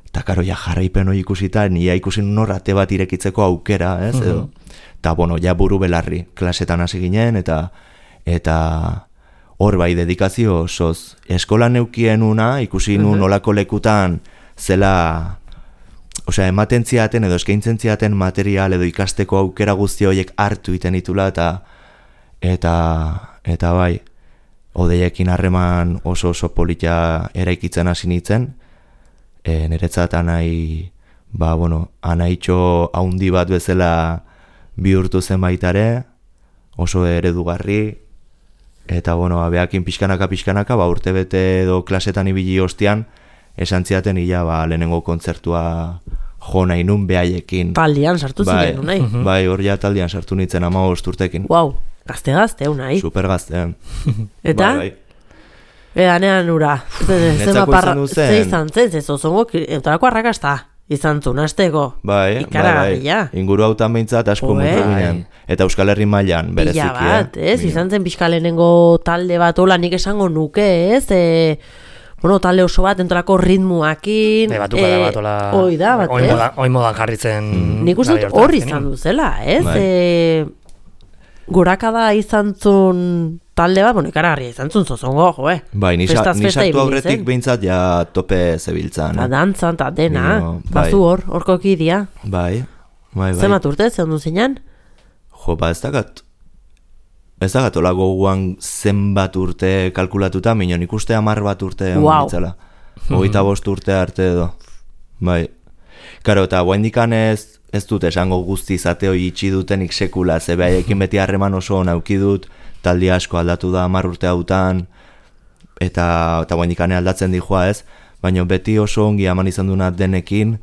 Eta karo, jarraipen hori ikusita, nia ikusin norrate bat irekitzeko aukera, ez? Eta, buru belarri, klasetan hasi ginen, eta hor dedikazio osoz. Eskolan neukien una, ikusi nun olako lekutan, zela, ematen ziaten edo eskaintzen ziaten material edo ikasteko aukera guzti horiek hartu iten ditula, eta bai, Odeiekin harreman oso polita eraikitzen hasi nintzen, niretzat anaitxo haundi bat bezala bihurtu zen baitare, oso eredugarri, eta behakin pixkanaka, urte bete edo klasetan ibili ostian, esan ziaten lehenengo kontzertua jo nahi nun behaiekin. Taldean sartu ziren, unai? Bai, hor ja taldean sartu nintzen 15 urtekin. Wow, gazte, unai? Super gazte. Eta? Bai. Nean ura. Netzako izan duzen. Ze izan zen, Zozongo, eutarako arrakasta izan zuen, azteko. Bai. Inguru hautan behintzat asko mutu ginen. Eta Euskal Herri mailan berezikia. Pila bat, ez? Izan zen pixka lehenengo talde bat, hola nik esango nuke, ez? talde oso bat, entolako ritmuakin. Batuka da bat, Hoi da, bat, Oin modan jarritzen. Nik uste dut horri izan duzela, ez? Gorakada izan zun talde bat, ikaragarria izan zun zozongo, Bai, nisartu aurretik behintzat ja tope zebiltzan. Dantzan, eta dena, bazu horko kidia. Bai. Zemat urte, zehan duzinan? Ez dagat ola goguan zenbat urte kalkulatuta, minon ikuste 10 bat urte ditzela. 25 urte arte edo. Bai. Karo, eta guaindikan ez dut esango guzti izateo itxi dutenik sekula, ze behaiekin beti harreman oso nauki dut, taldi asko aldatu da 10 urte hautan, eta guaindikane aldatzen dijoa ez, baina beti oso ongi eman izan duna denekin,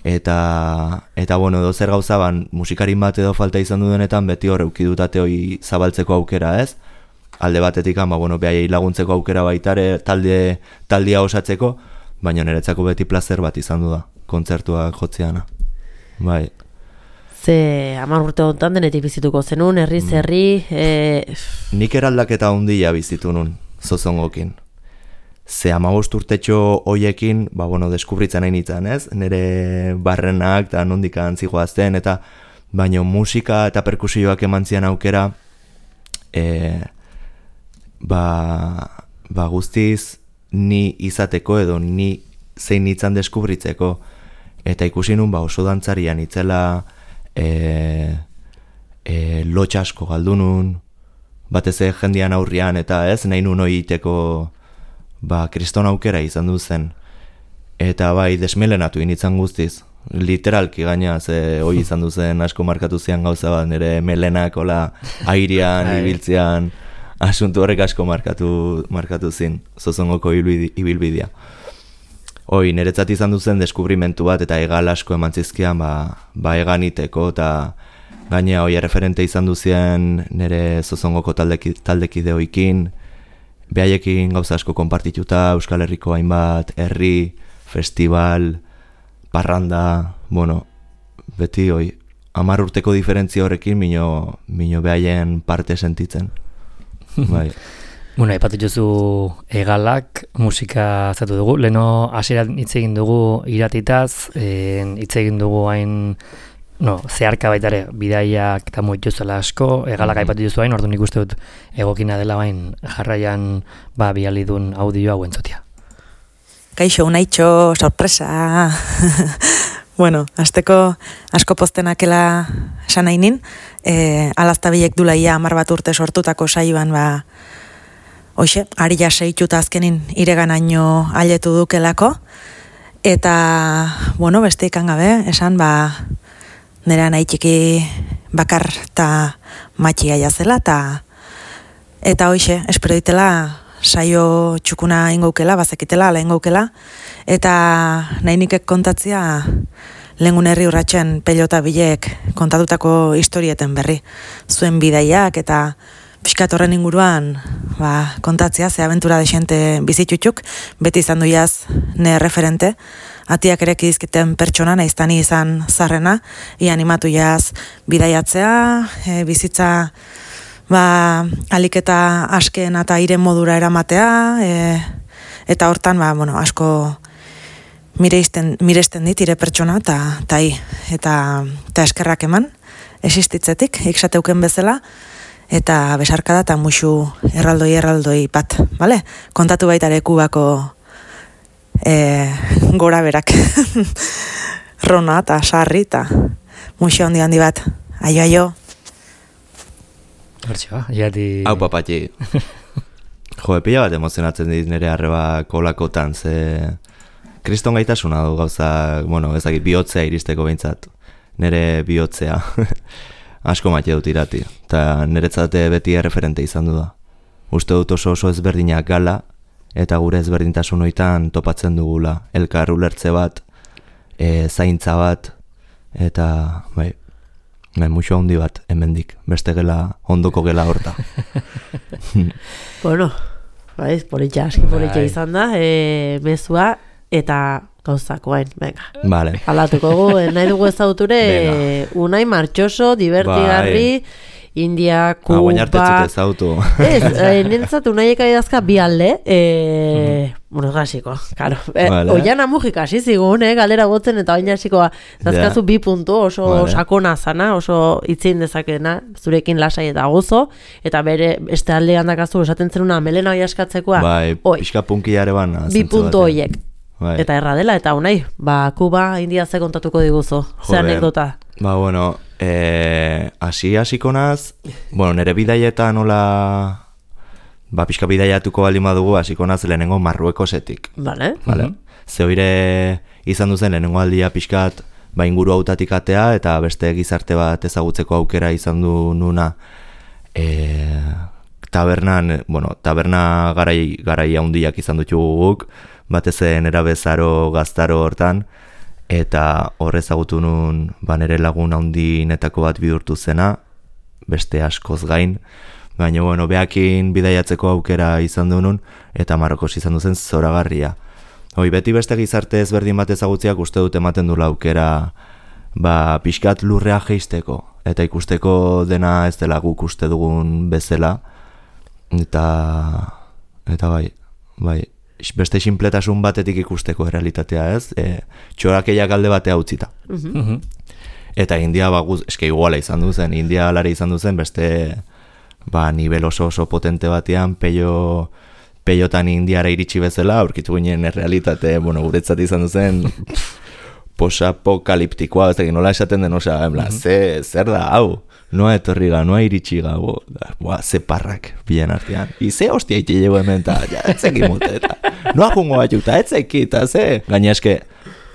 eta edo zer gauza musikarin bat edo falta izan duenetan beti hor eukidutate hori zabaltzeko aukera ez, alde batetik behaiei laguntzeko aukera baitare taldia osatzeko, baina niretzako beti plazer bat izan du da, kontzertuak jotzeana. Bai. Ze 10 urte honetan denetik bizituko zenun, herri. Nik eraldaketa handia bizitu nun, zozongokin. Ze 15 urtetxo hoiekin, deskubritzen nahi nintzen, ez? Nere barrenak eta nondik antzigoazten, eta baino musika eta perkusioak eman zian aukera, guztiz ni izateko edo ni zein nintzen deskubritzeko, eta ikusi nun oso dantzarian itzela lotxasko galdunun, batez jendian aurrian, eta ez, nahi nun hoiteko kriston aukera izan duzen. Eta desmelenatu initzan guztiz. Literalki gaina, ze hoi izan duzen asko markatu zian gauza bat, nire melenak ola airean, ibiltzean, asuntu horrek asko markatu zin, zozongoko ibilbidea. Hoi, niretzat izan duzen deskubrimentu bat, eta egal asko eman zizkian, eganiteko, eta gaina hoi referente izan duzien nire zozongoko taldekideoikin, behaiekin gauza asko konpartituta, Euskal Herriko hainbat, herri, festival, parranda, beti hoi, 10 urteko diferentzia horrekin mino behaien parte sentitzen. Bai. Aipatu jozu egalak, musika zatu dugu, leheno hasieran hitz egin dugu iratitaz, hitz egin dugu hain zeharka baitare, bidaiak eta moituzela asko, egalak aipatu jozu hain, orduan ikuste dut egokina dela bain jarraian bialidun audioa hau entzotia. Kaixo, unaitxo, sorpresa. Azteko asko poztenakela esan nahi nin, alaztabilek dula ia 10 bat urte sortutako saioan hoxe, ari jaseituta azkenin ireganaino aletu dukelako, eta, beste ikan gabe, esan, nera nahi txiki bakar eta matxia jazela, eta hoxe, espero ditela saio txukuna ingoukela, bazekitela, ala ingoukela, eta nahi nikek kontatzia lehengun herri urratxen pelota bilek kontatutako historieten berri, zuen bidaiak eta pixkat horren inguruan kontatzia, ze abentura desente bizitutxuk, beti izan duiaz ne referente, atiak ereki dizkiten pertsona, naiztani izan zarrena, animatu jaz bidaiatzea, bizitza aliketa asken eta iren modura eramatea, eta hortan, asko miresten dit ire pertsona, eta eskerrak eman, existitzetik, iksateuken bezala, eta besarkada eta musu erraldoi bat, bale? Kontatu baitare Kubako gora berak. Rona eta sarri eta musu handi bat. Aio. Hortxoa, jati... Hau papatxi. Pila bat emozionatzen dit nire arreba kolakotan, ze... Kriston gaitasuna du gauza, ezakit, bihotzea iristeko behintzat. Nire bihotzea. Asko maite dut irati, eta niretzate beti erreferente izan du da. Uste dut oso ezberdinak gala, eta gure ezberdintasun hoitan topatzen dugula. Elkar ulertze bat, zaintza bat, eta muxo handi bat, hemendik, beste gela, ondoko gela horta. Politxa izan da, mezua, eta gauzakoain, venga. Vale. Aldatuko gu, nahi dugu ezauture, unai martxoso, divertigarri, India, Kuba... Guainartetzut ez autu. Ez, nintzat unaiek adidazka bi alde, bueno, gasiko, claro. Vale. Oian amujik hasi zigun, galdera botzen, eta oin hasiko dazkazu 2 puntu, oso sakona zana, oso itzein dezakena, zurekin lasai eta gozo, eta bere beste alde handakazu esaten zenuna melena hoi askatzekoa. Bai, pixka punkiare bana. 2 puntu hoiek. Bai. Eta erra dela, eta unai, Kuba, India ze kontatuko diguzu, ze anekdota. Ba, bueno, hasiko naz, bueno, nire bidaietan nola, pixka bidaiatuko baldin badugu, hasiko naz lehenengo Marruekosetik. Vale. Ze hoire izan duzen lehenengo aldia pixkat, inguru hautatik atea, eta beste gizarte bat ezagutzeko aukera izan du nuna, taberna garai handiak izan ditugu guk, batez nera bezaro gaztaro hortan, eta hor ezagutu nun nere lagun handinetako bat bihurtu zena, beste askoz gain, baina bueno, behakin bidaiatzeko aukera izan du nun, eta Marrokos izan duzen zoragarria. Beti beste gizarte ezberdin bat ezagutziak uste dut ematen dula aukera pixkat lurrea jeisteko, eta ikusteko dena ez dela guk uste dugun bezala, eta bai, beste sinpletasun batetik ikusteko realitatea ez, txorakeiak alde batea utzita. Eta India eske iguala izan duzen, India alare izan duzen, beste nivel oso potente batean, peiotan Indiara iritsi bezala, aurkitu ginen errealitate, guretzat izan duzen, posapokaliptikoa, ez da, nola esaten den, zer da, hau, noa etorriga, noa iritsiga, ze parrak bilen artean. Ize hostia iti llego hemen, eta etzeki mute, eta noa jungo batxuta, etzeki, eta ze. Gaina eske,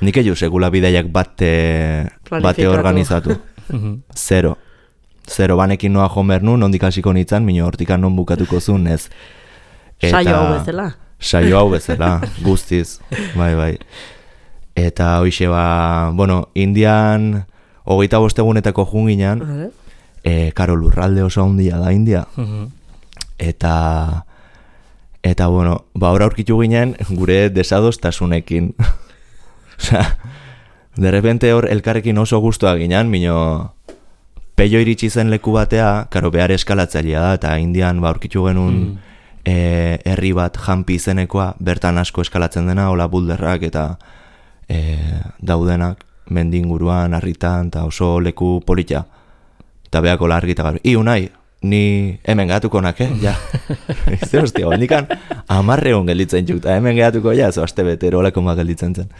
nik egin segula bideiak bate organizatu. Zero, banekin noa jomer nun, ondik hasiko nintzen, minio hortikan non bukatuko zuen, ez. Saio hau bezala. Saio hau bezala, guztiz, bai. Eta hoxe Indian, 25 egunetako junginan, karo lurralde oso handia da India. Eta hor aurkitu ginen gure desadostasunekin. Osea, de repente hor elkarrekin oso guztua ginen, mino peio iritsi zen leku batea, karo behar eskalatzailea da, eta Indian aurkitu genuen herri bat Hampi izenekoa, bertan asko eskalatzen dena, hola bulderrak eta daudenak, mendinguruan, harritan, eta oso leku polita. Eta behako largi eta garu, unai, ni hemen gehatuko nak, ja. Zer hostia, bendikan 10 egun gelditzen txuk, eta hemen gehatuko, ja, zo aste betero olako ma gelditzen zen.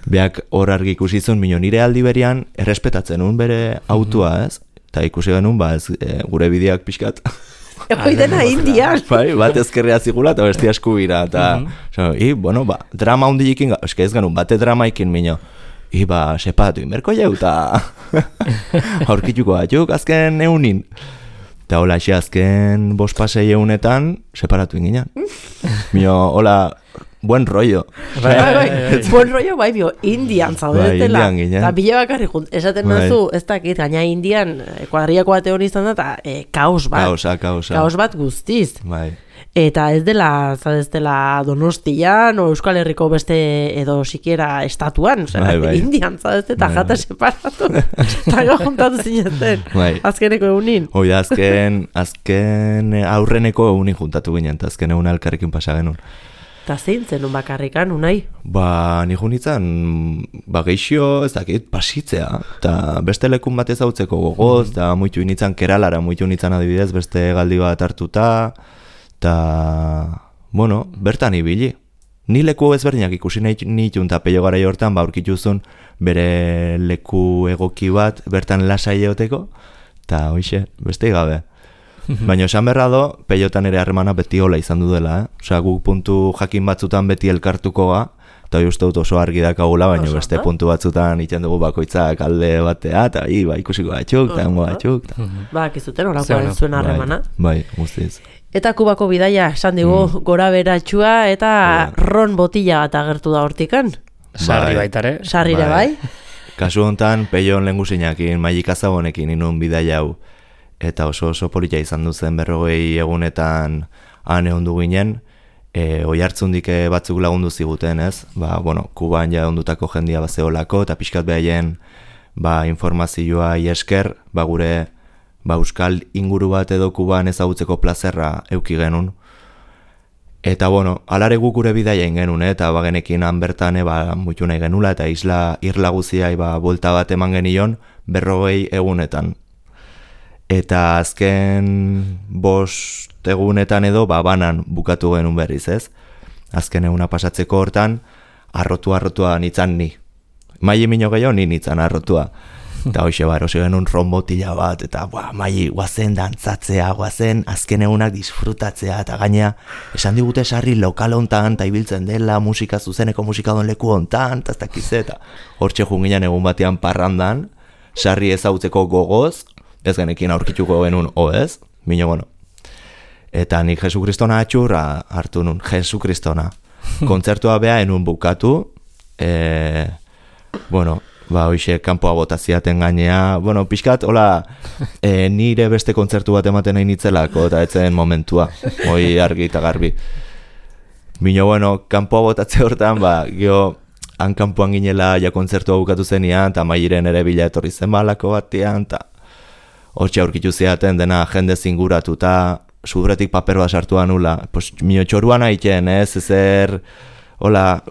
Beak hor argi ikusi zuen, mino nire aldi berian errespetatzen un bere autua, ez? Eta ikusi genuen, gure bideak pixkat. Dena Indian. Bat ezkerrea zigula eta bestia eskubira. Drama hundilekin, eske ez genuen, bate dramaikin mino. Sepatu inberko jau, eta aurkituko batzuk azken eunin. Eta hola, azken 5-6 eunetan separatu inginen. Mio, hola, buen rollo. Buen rollo, bio, Indian zaudetela. Eta bile bakarri junt, esaten nazu, ez dakit, gaina Indian, kuadriako bate hori izan da, eta kaos bat. Kaos bat guztiz. Eta ez dela Donostian o Euskal Herriko beste edo sikiera estatuan, Indian zaudete eta jata separatu. Eta juntatu zineten, azkeneko egunin. Azken aurreneko egunin juntatu ginen, eta azken egun elkarrekin pasa genuen. Eta zein zenun bakarrikan, unai? Nijo nintzen, geixio, ez dakit, pasitzea. Eta beste lekun bat ezautzeko gogoz, eta muitu nintzen Keralara, muitu nintzen adibidez, beste galdi bat hartuta, eta, bertan ibili. Ni leku ezberdinak ikusi nituen, eta peio gara hortan, aurkituzun bere leku egoki bat, bertan lasai eoteko, eta hoxe, beste gabe. Baina esan berra do, peiotan ere harremana beti hola izan du dela, Osea, guk puntu jakin batzutan beti elkartuko ga, eta uste dut oso argi dakagula, baina beste puntu batzutan iten dugu bakoitzak alde batea, eta ikusiko batxuk, eta hengo batxuk. Akizuten horakoa zuen harremana. Bai, guztiz. Eta Kubako bidaia, esan digu, gora beratxua, eta ron botila bat agertu da hortikan. Sarri baitare. Sarrire bai. Kasu hontan, peion lehengusinakin, Maik Azabonekin inun bidaia hau. Eta oso polita izan duzen 40 egunetan han egon du ginen, oihartzundik batzuk lagundu ziguten, ez? Kuban ja ondutako jendia bazeolako, eta pixkat behaien informazioa esker, gure euskal inguru bat edo Kuban ezagutzeko plazerra euki genuen. Eta bueno, alare guk gure bidaia genuen, eta bagenekin han bertan muitu nahi genula, eta irla guziai buelta bat eman genion 40 egunetan. Eta azken 5 egunetan edo banan bukatu genuen berriz, ez? Azken eguna pasatzeko hortan, arrotua nitzan ni. Mai mino gehiago ni nitzan arrotua. Eta hoxe erosi genuen rombotila bat, eta mai guazen dantzatzea, guazen azken egunak disfrutatzea, eta gainea esan digute sarri lokal hontan, eta ibiltzen dela musika zuzeneko musikadon leku hontan, eta ez dakize, eta hortxe junginan egun batean parrandan, sarri ezautzeko gogoz, ez genekin aurkituko genuen ez, mino bueno. Eta nik Jesu Kristona atxurra hartu nun, Jesu Kristona. Kontzertua beha enun bukatu, hoxe kanpoa botaziaten gainea, pixkat, hola, nire beste kontzertu bat ematen nahi nitzelako, eta etzen momentua, hoi argi eta garbi. Mino, kanpoa botatze hortan, geho, han kanpoan ginela ja kontzertua bukatu zenian, eta mairen ere bila etorri zen balako batean, eta hortxe aurkitu ziaten dena jende zinguratuta, sudretik paper bat sartua nula, mino txoruan haiten, ezer... Hola,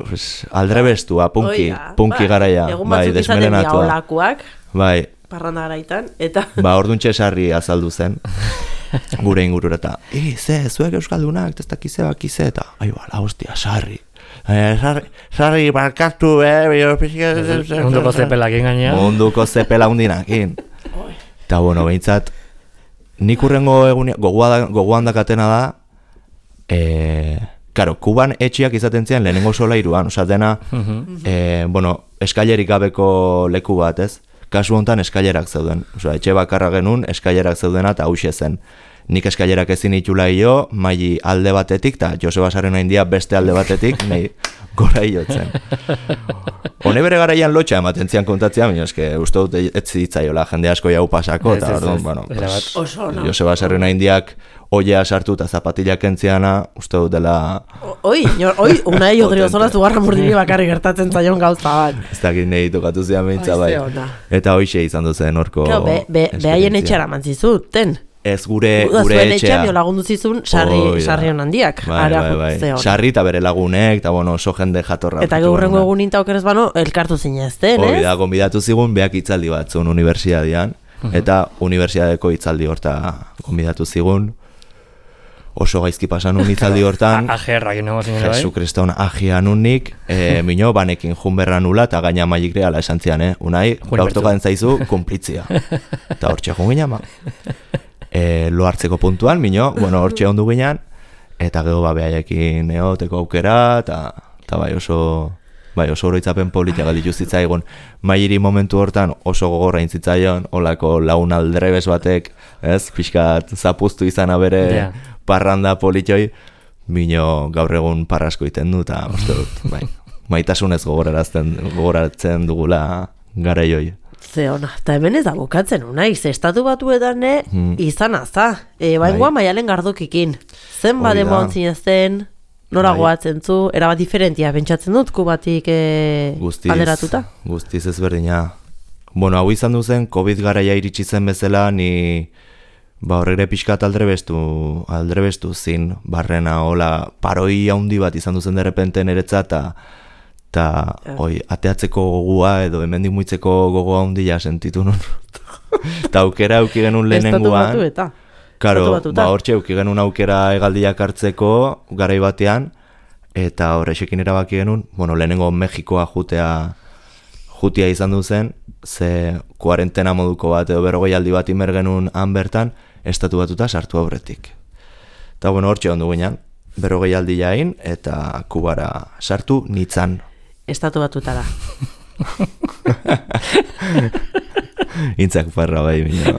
aldrebestua, punki garaia, desmelenatua. Olakuak, bai. Parranda garaitan, eta... Orduntxe sarri azaldu zen, gure ingurureta. Zuek euskaldunak, ez dakize bakize, eta... hostia, sarri. Sarri, barkatu, Munduko zepelakin gainea. Munduko zepela undinakin. Eta, behintzat, nik urrengo egunia, gogoan dakatena da, Karo, Kuban etxiak izaten zian lehenengo solairuan, dena, eskailerik gabeko leku bat, ez? Kasu hontan eskailerak zeuden. Etxe bakarra genuen, eskailerak zeudena eta hauxe zen. Nik eskailerak ezin itxula jo, maili alde batetik, eta Joseba Sarrena India beste alde batetik, nahi gora iotzen. Hone bere garaian lotxa ematen zian kontatzea, baina eske uste dut ez zitzaiola jende asko jau pasako, eta Joseba Sarrena Indiak oia sartu eta zapatilak entziana, uste dut dela... Unai Odriozola zugarra murdiri bakarri gertatzen zaion gauza bat. Ez dakit nahi tokatu zian behintza bai. Eta hoxe izan duzen horko... Behaien etxera mantzizuten. Ez gure etxea. Lagundu zizun sarri honandiak. Bai. Sarri eta bere lagunek, eta oso jende jatorra. Eta gaurrengo egun inta okerez bano, elkartu zinezten, ez? Hoi da, gonbidatu zigun, beak hitzaldi bat zuen unibertsiadian, eta unibertsiadeko hitzaldi horta gonbidatu zigun. Oso gaizki pasan un hitzaldi hortan. Ajerrak nago zinera bai? Jesu Kriston ajia nunik, mino, banekin junberra nula, eta gaina maik reala esan zian, Unai, gaurtoka den zaizu, kumplitzia. Eta hortxe jungina, lo hartzeko puntuan, mino, hortxe ondu ginean, eta gero behaiekin neoteko aukera, eta bai oso oroitzapen politia galditu zitzaigun. Mairi momentu hortan oso gogorra intzitzaion, olako laun aldrebes batek, ez, pixkat zapuztu izana bere parranda politioi, mino gaur egun parrasko iten du, eta maitasunez gogoratzen dugula garaioi. Zeona, eta hemen ez da bukatzen unaiz, estatu batuetan izan aza, baingoa Maialen Gardukikin, zen bademo ontzinezten, nora goatzen zu, erabat diferentia pentsatzen dut, Kubatik alderatuta? Guztiz ezberdina. Hau izan duzen, COVID garaia iritsi zen bezala, ni horregre pixkat aldrebestu zin, barrena, hola, paroi handi bat izan duzen derrepente niretzat, eta ateatzeko gogua edo hemendik muitzeko gogoa handia sentitu nun. Eta aukera auki genuen lehenengoan. Karo, hortxe auki genuen aukera hegaldiak hartzeko garai batean, eta horrexekin erabaki genuen, lehenengo Mexikoa jutia izan duzen, ze kuarentena moduko bat edo 40 aldi bat imer genuen han bertan, estatu batuta sartu aurretik. Eta hortxe ondu ginean, 40 aldi jain, eta Kubara sartu nitzan. Estatu batuta da. Intzak parra bai, bino.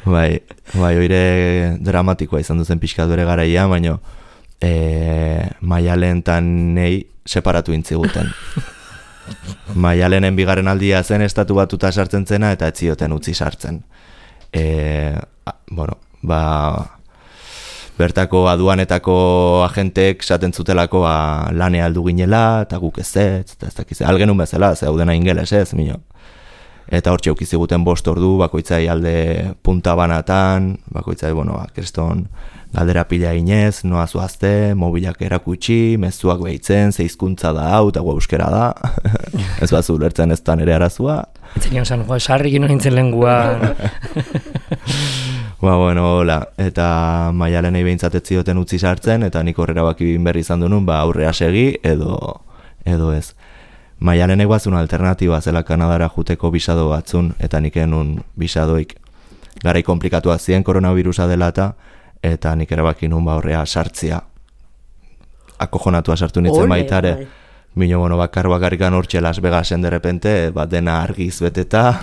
Bai, oire dramatikoa izan duzen pixkat bere garaia, baina Maialen eta nei separatu intziguten. Maialenen bigarren aldia zen estatu batuta sartzen zena, eta ez zioten utzi sartzen. Bertako aduanetako agentek esaten zutelako lanea aldu ginela, eta guk ez dakize, algenun bezala, ze hau dena ingeles ez, mino. eta hortxe eukiziguten 5 ordu, bakoitzai alde punta banatan, bakoitzai, kriston galdera pila inez, noa zuazte, mobilak erakutsi, mezuak behitzen, zeizkuntza da hau, eta euskera da, ez bat zulertzen ez da nire arazua. Etzenion zan, sarri gino nintzen lengua. Hola, eta Maialenei behintzat ez zioten utzi sartzen, eta nik horrera bakibin berri izan dunun, aurrea segi, edo ez. Maialenek bazun alternatiba zela Kanadara juteko bisado batzun, eta nik enun bisadoik garai komplikatuak ziren koronavirusa dela eta nik erabaki nun horrea sartzia. Akojonatua sartu nintzen baitare. Bino, bakarrikan hortxe Las Vegasen derrepente, dena argiz beteta.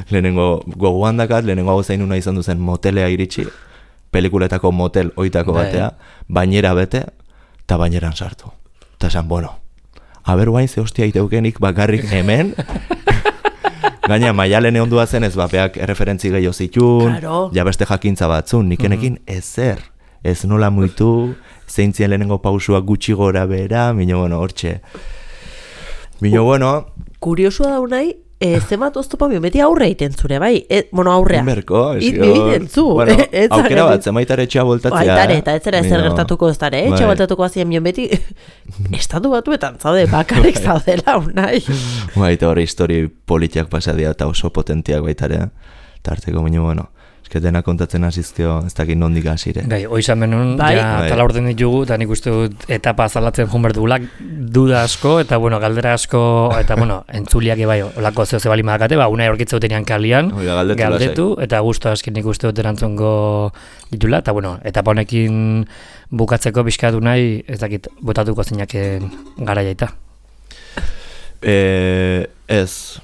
Lehenengo gogoan dakat, lehenengo hau zain una izan duzen motelea iritsi, pelikuletako motel oitako batea, bainera bete, eta baineran sartu. Eta esan, aber guain ze hostia iteukenik bakarrik hemen, gaina Maialen ondua zen ez bapeak erreferentzi gehiago zitun, ja beste jakintza batzun, nikenekin ezer, ez nola muitu, zeintzien lehenengo pausuak gutxi gora bera, hortxe. Kuriosua da unai, zemat oztopa beti aurre egiten zure, bai? Aurrea. Inberko, egiten zu. Aukera bat, zemaitare etxea voltatzea. Aitare, eta ez zera ezer gertatuko ez dara, etxea voltatuko azien beti, estatu batuetan zaude, bakarrik zaudela, unai. Eta hori histori politiak pasadia eta oso potentiak baitare, tarteko dena kontatzen hasizkeo, ez dakit nondik hasire. Oizan benun, tala orden ditugu, eta nik uste dut etapa azalatzen joan berdugulak, duda asko, eta galdera asko, eta entzuliak ebai, olako zeo zebali madakate, unai aurkitza utenean kalian, galdetu, eta guztu askin nik uste dut erantzongo ditula, eta etapa honekin bukatzeko bizkatu nahi, ez dakit, botatuko zeinaken garaiaita. Ez,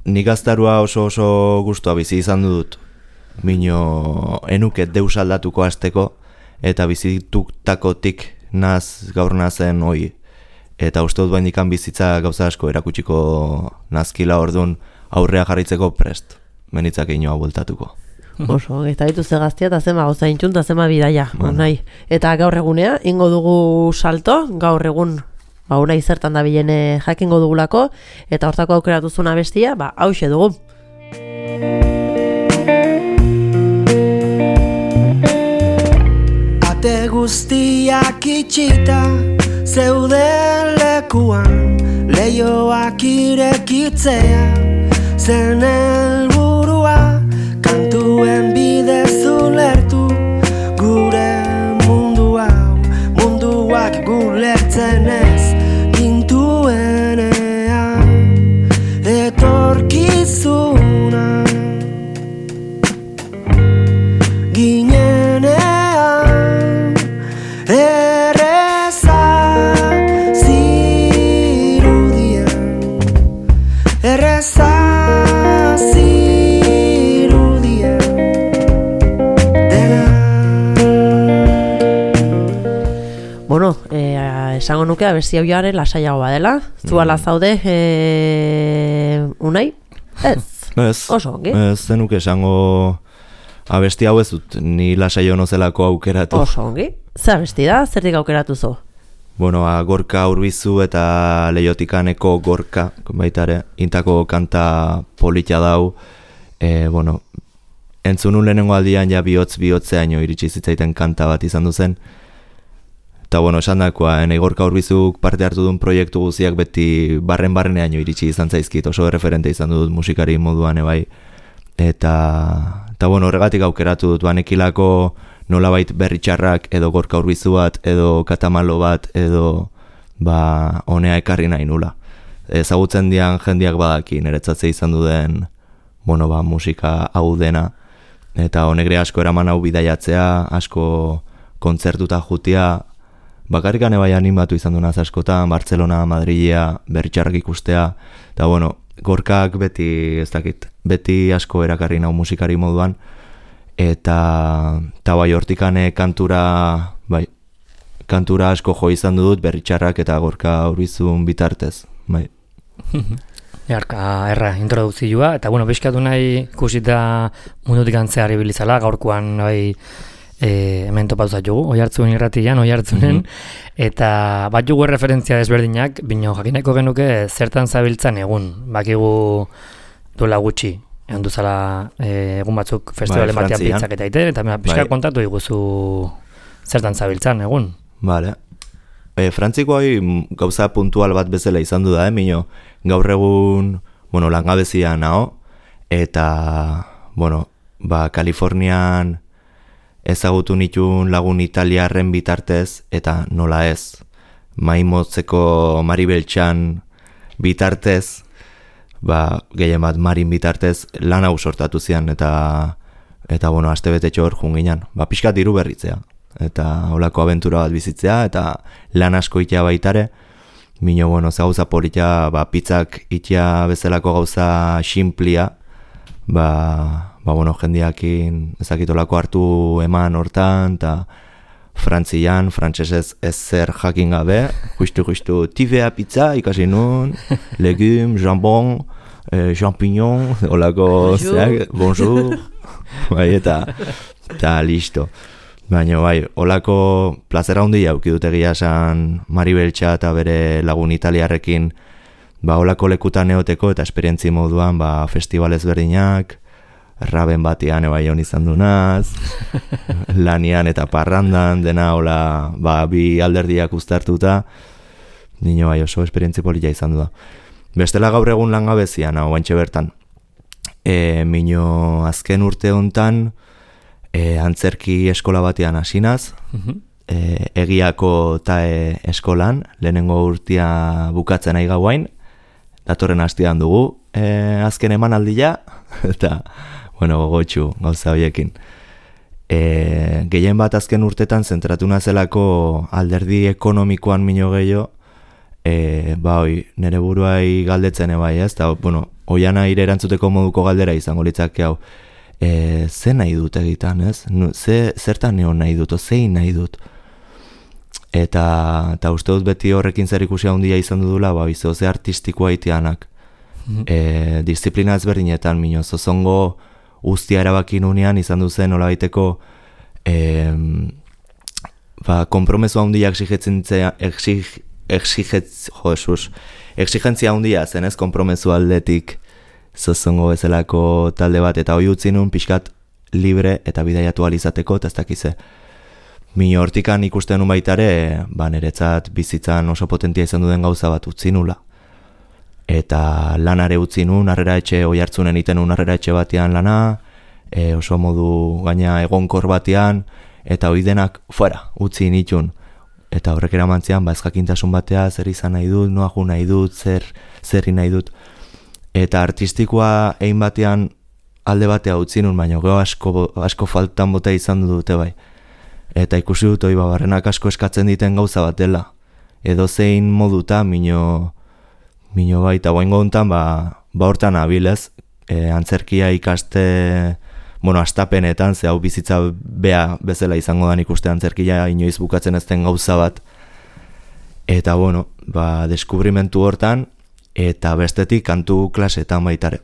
nik gaztarua oso gustua bizi izan dut, enuket deus aldatuko hasteko, eta bizitutakotik gaur nazen hoi. Eta uste dut baindikan bizitza gauza asko erakutsiko nazkila orduan aurrea jarritzeko prest, menitzak inoa bueltatuko. Oso, eta dituzte gaztia eta zema gauza intxun eta zema bidaia, nahi. Eta gaur egunea, ingo dugu salto, gaur egun unai zertan da bilene jakingo dugulako, eta hortako aukeratuzuna bestia, hauxe dugu. Ate guztiak itxita, zeuden lekuan, leioak irekitzea, zen helburua, kantuen bidez ulertu, gure mundu hau, munduak gulertzen ez, etorkizuna ginenean erreza zirudien dena. Esango nuke abesti hau joaren lasaiago badela. Zuala zaude, unai? Ez. Oso, ongi? Ez zenuke esango abesti hau ez dut, ni lasaio nozelako aukeratu. Oso, ongi? Ze abesti da? Zertik aukeratu zo? Gorka Urbizu eta Leiotikaneko Gorka, baitare, intako kanta polita dau. Entzunun lehenengo aldian ja bihotzeaino iritsi zitzaiten kanta bat izan duzen. Eta esan dakoa, Gorka Urbizuk parte hartu duen proiektu guziak beti barreneaino iritsi izan zaizkit, oso referente izan dut musikari moduan ebai. Eta horregatik aukeratu dut, banekilako nolabait berritxarrak edo Gorka Urbizu bat, edo Katamalo bat, edo honea ekarri nahi nula. Ezagutzen dian jendiak badaki, niretzatze izan duden musika hau dena, eta honegre asko eraman hau bidaiatzea, asko kontzertuta jutia, bakarrikan ebai animatu izan duna askotan, Bartzelona, Madrilea, berritxarrak ikustea, eta Gorkak beti, ez dakit, beti asko erakarri nau musikari moduan, eta hortikane kantura asko jo izan dut berritxarrak eta Gorka Urbizun bitartez, bai. Erra, introdukzioa, eta bizkatu nahi ikusita mundutik antzeari bilizala, gaurkoan hemen topatu jugu, Oiartzun irratian, Oiartzunen, eta bat jugu referentzia desberdinak, bino jakineko genuke zertan zabiltzan egun, bakigu duela gutxi, egon duzala egun batzuk festivalen batean pizzak eta ite, eta pixka kontatu diguzu zertan zabiltzan egun. Vale. Frantziko gauza puntual bat bezala izan du da, mino, gaur egun, langabezia nao, eta, Kalifornian ezagutu nituen lagun italiarren bitartez, eta nola ez, Maimotzeko Maribeltxan bitartez, gehien bat Marin bitartez, lan hau sortatu zian, eta aste betetxo hor junginan, pixkat diru berritzea. Eta holako abentura bat bizitzea, eta lan asko itea baitare, mino, ze gauza politia, pizzak itea bezalako gauza xinplia, jendiakin ezakitolako hartu eman hortan, eta frantzian, frantsesez ez zer jakin gabe, justu, tivea pizza ikasi nun, legum, jambon, champignon, holako, bonjour, eta listo. Baina holako plazera handia auki dut egia esan Maribeltxa eta bere lagun italiarrekin holako lekutan neoteko eta esperientzi moduan festival ezberdinak, raben batean hon izan dunaz, lanian eta parrandan, dena hola bi alderdiak uztartuta, nino oso esperientzi polita izan du da. Bestela gaur egun langabezian, oaintxe bertan. Mino azken urte hontan, antzerki eskola batean hasinaz, egiako tae eskolan, lehenengo urtea bukatzen nahi gauain, datorren hastean dugu, azken emanaldia, eta, gogotxu gauza horiekin. Gehien bat azken urtetan zentratu nazelako alderdi ekonomikoan mino gehiago, nere buruai galdetzen ez, eta, oian aire erantzuteko moduko galdera izango litzake hau, ze nahi dut egitan, ez? Zertan neon nahi dut, zein nahi dut. Eta uste dut beti horrekin zer ikusia handia izan dudula, ze artistikoa itianak. Disiplina ezberdinetan, mino, zozongo ustia erabakin unean izan duzen nolabaiteko kompromesu handia exigentzia handia zen, ez? Kompromesu aldetik zozongo bezalako talde bat, eta hoi utzi nun pixkat libre eta bidaiatu alizateko, eta ez dakize. Mino hortikan ikusten nun baitare, niretzat bizitzan oso potentia izan duden gauza bat utzi nula. Eta lanare utzi nun, Oiartzunen iten nun harrera etxe batean lana, oso modu gaina egonkor batean, eta hoi denak fuera, utzi nitun. Eta horrek eramantzean, ez jakintasun batea, zer izan nahi dut, noa ju nahi dut, zerri nahi dut. Eta artistikoa egin batean alde batea utzi nun, baina gero asko faltan bota izan dute bai. Eta ikusi dut hori barrenak asko eskatzen diten gauza bat dela. Edo zein moduta, mino baita guaingo hontan, hortan abilez, antzerkia ikaste, astapenetan, ze hau bizitza bea bezala izango dan ikuste antzerkia inoiz bukatzen ez den gauza bat. Eta deskubrimentu hortan, eta bestetik kantu klasetan baitare.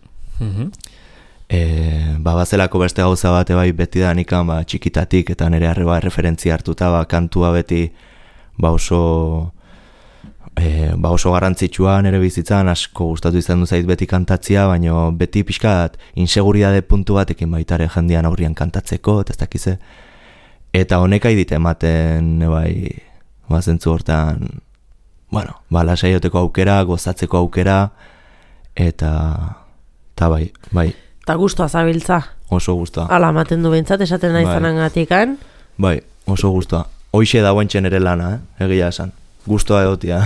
Bazelako beste gauza bate bai beti da nikan txikitatik eta nire arreba referentzia hartuta kantua beti oso garrantzitsua nire bizitzan, asko gustatu izan du zait beti kantatzia, baina beti pixkat inseguridade puntu batekin baitare jendean aurrian kantatzeko, eta ez dakize. Eta honek aidit ematen zentzu hortan, lasaioteko aukera, gozatzeko aukera, eta bai. Eta guztua zabiltza. Oso guztua. Ala, ematen du bentsat, esaten nahi zanangatikan. Bai, oso guztua. Hoixe da guantxen ere lana, egia esan. Guztua egotia.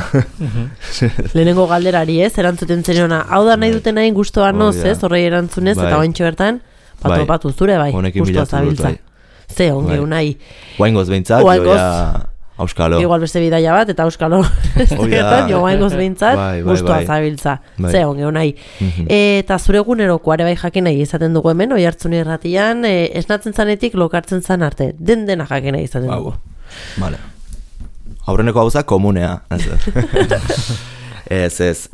Lehenengo galderari ez, erantzuten zeniona. Hau da nahi duten nahi guztua noz, ez, horrei erantzunez, eta guantxo bertan, patu zure bai, guztua zabiltza. Ze, ongi unai. Guaingoz behintzat, joia auskalo. Igual beste bidaia bat, eta auskalo. Jo guaingoz behintzat, guztua zabiltza. Ze, ongi unai. Eta zure egunerokoare bai jakin nahi izaten dugu hemen, Oiartzun irratian, esnatzen zanetik lokartzen zan arte. Dena jakin nahi izaten dugu. Vale. Aurreneko gauza komunea. Ez,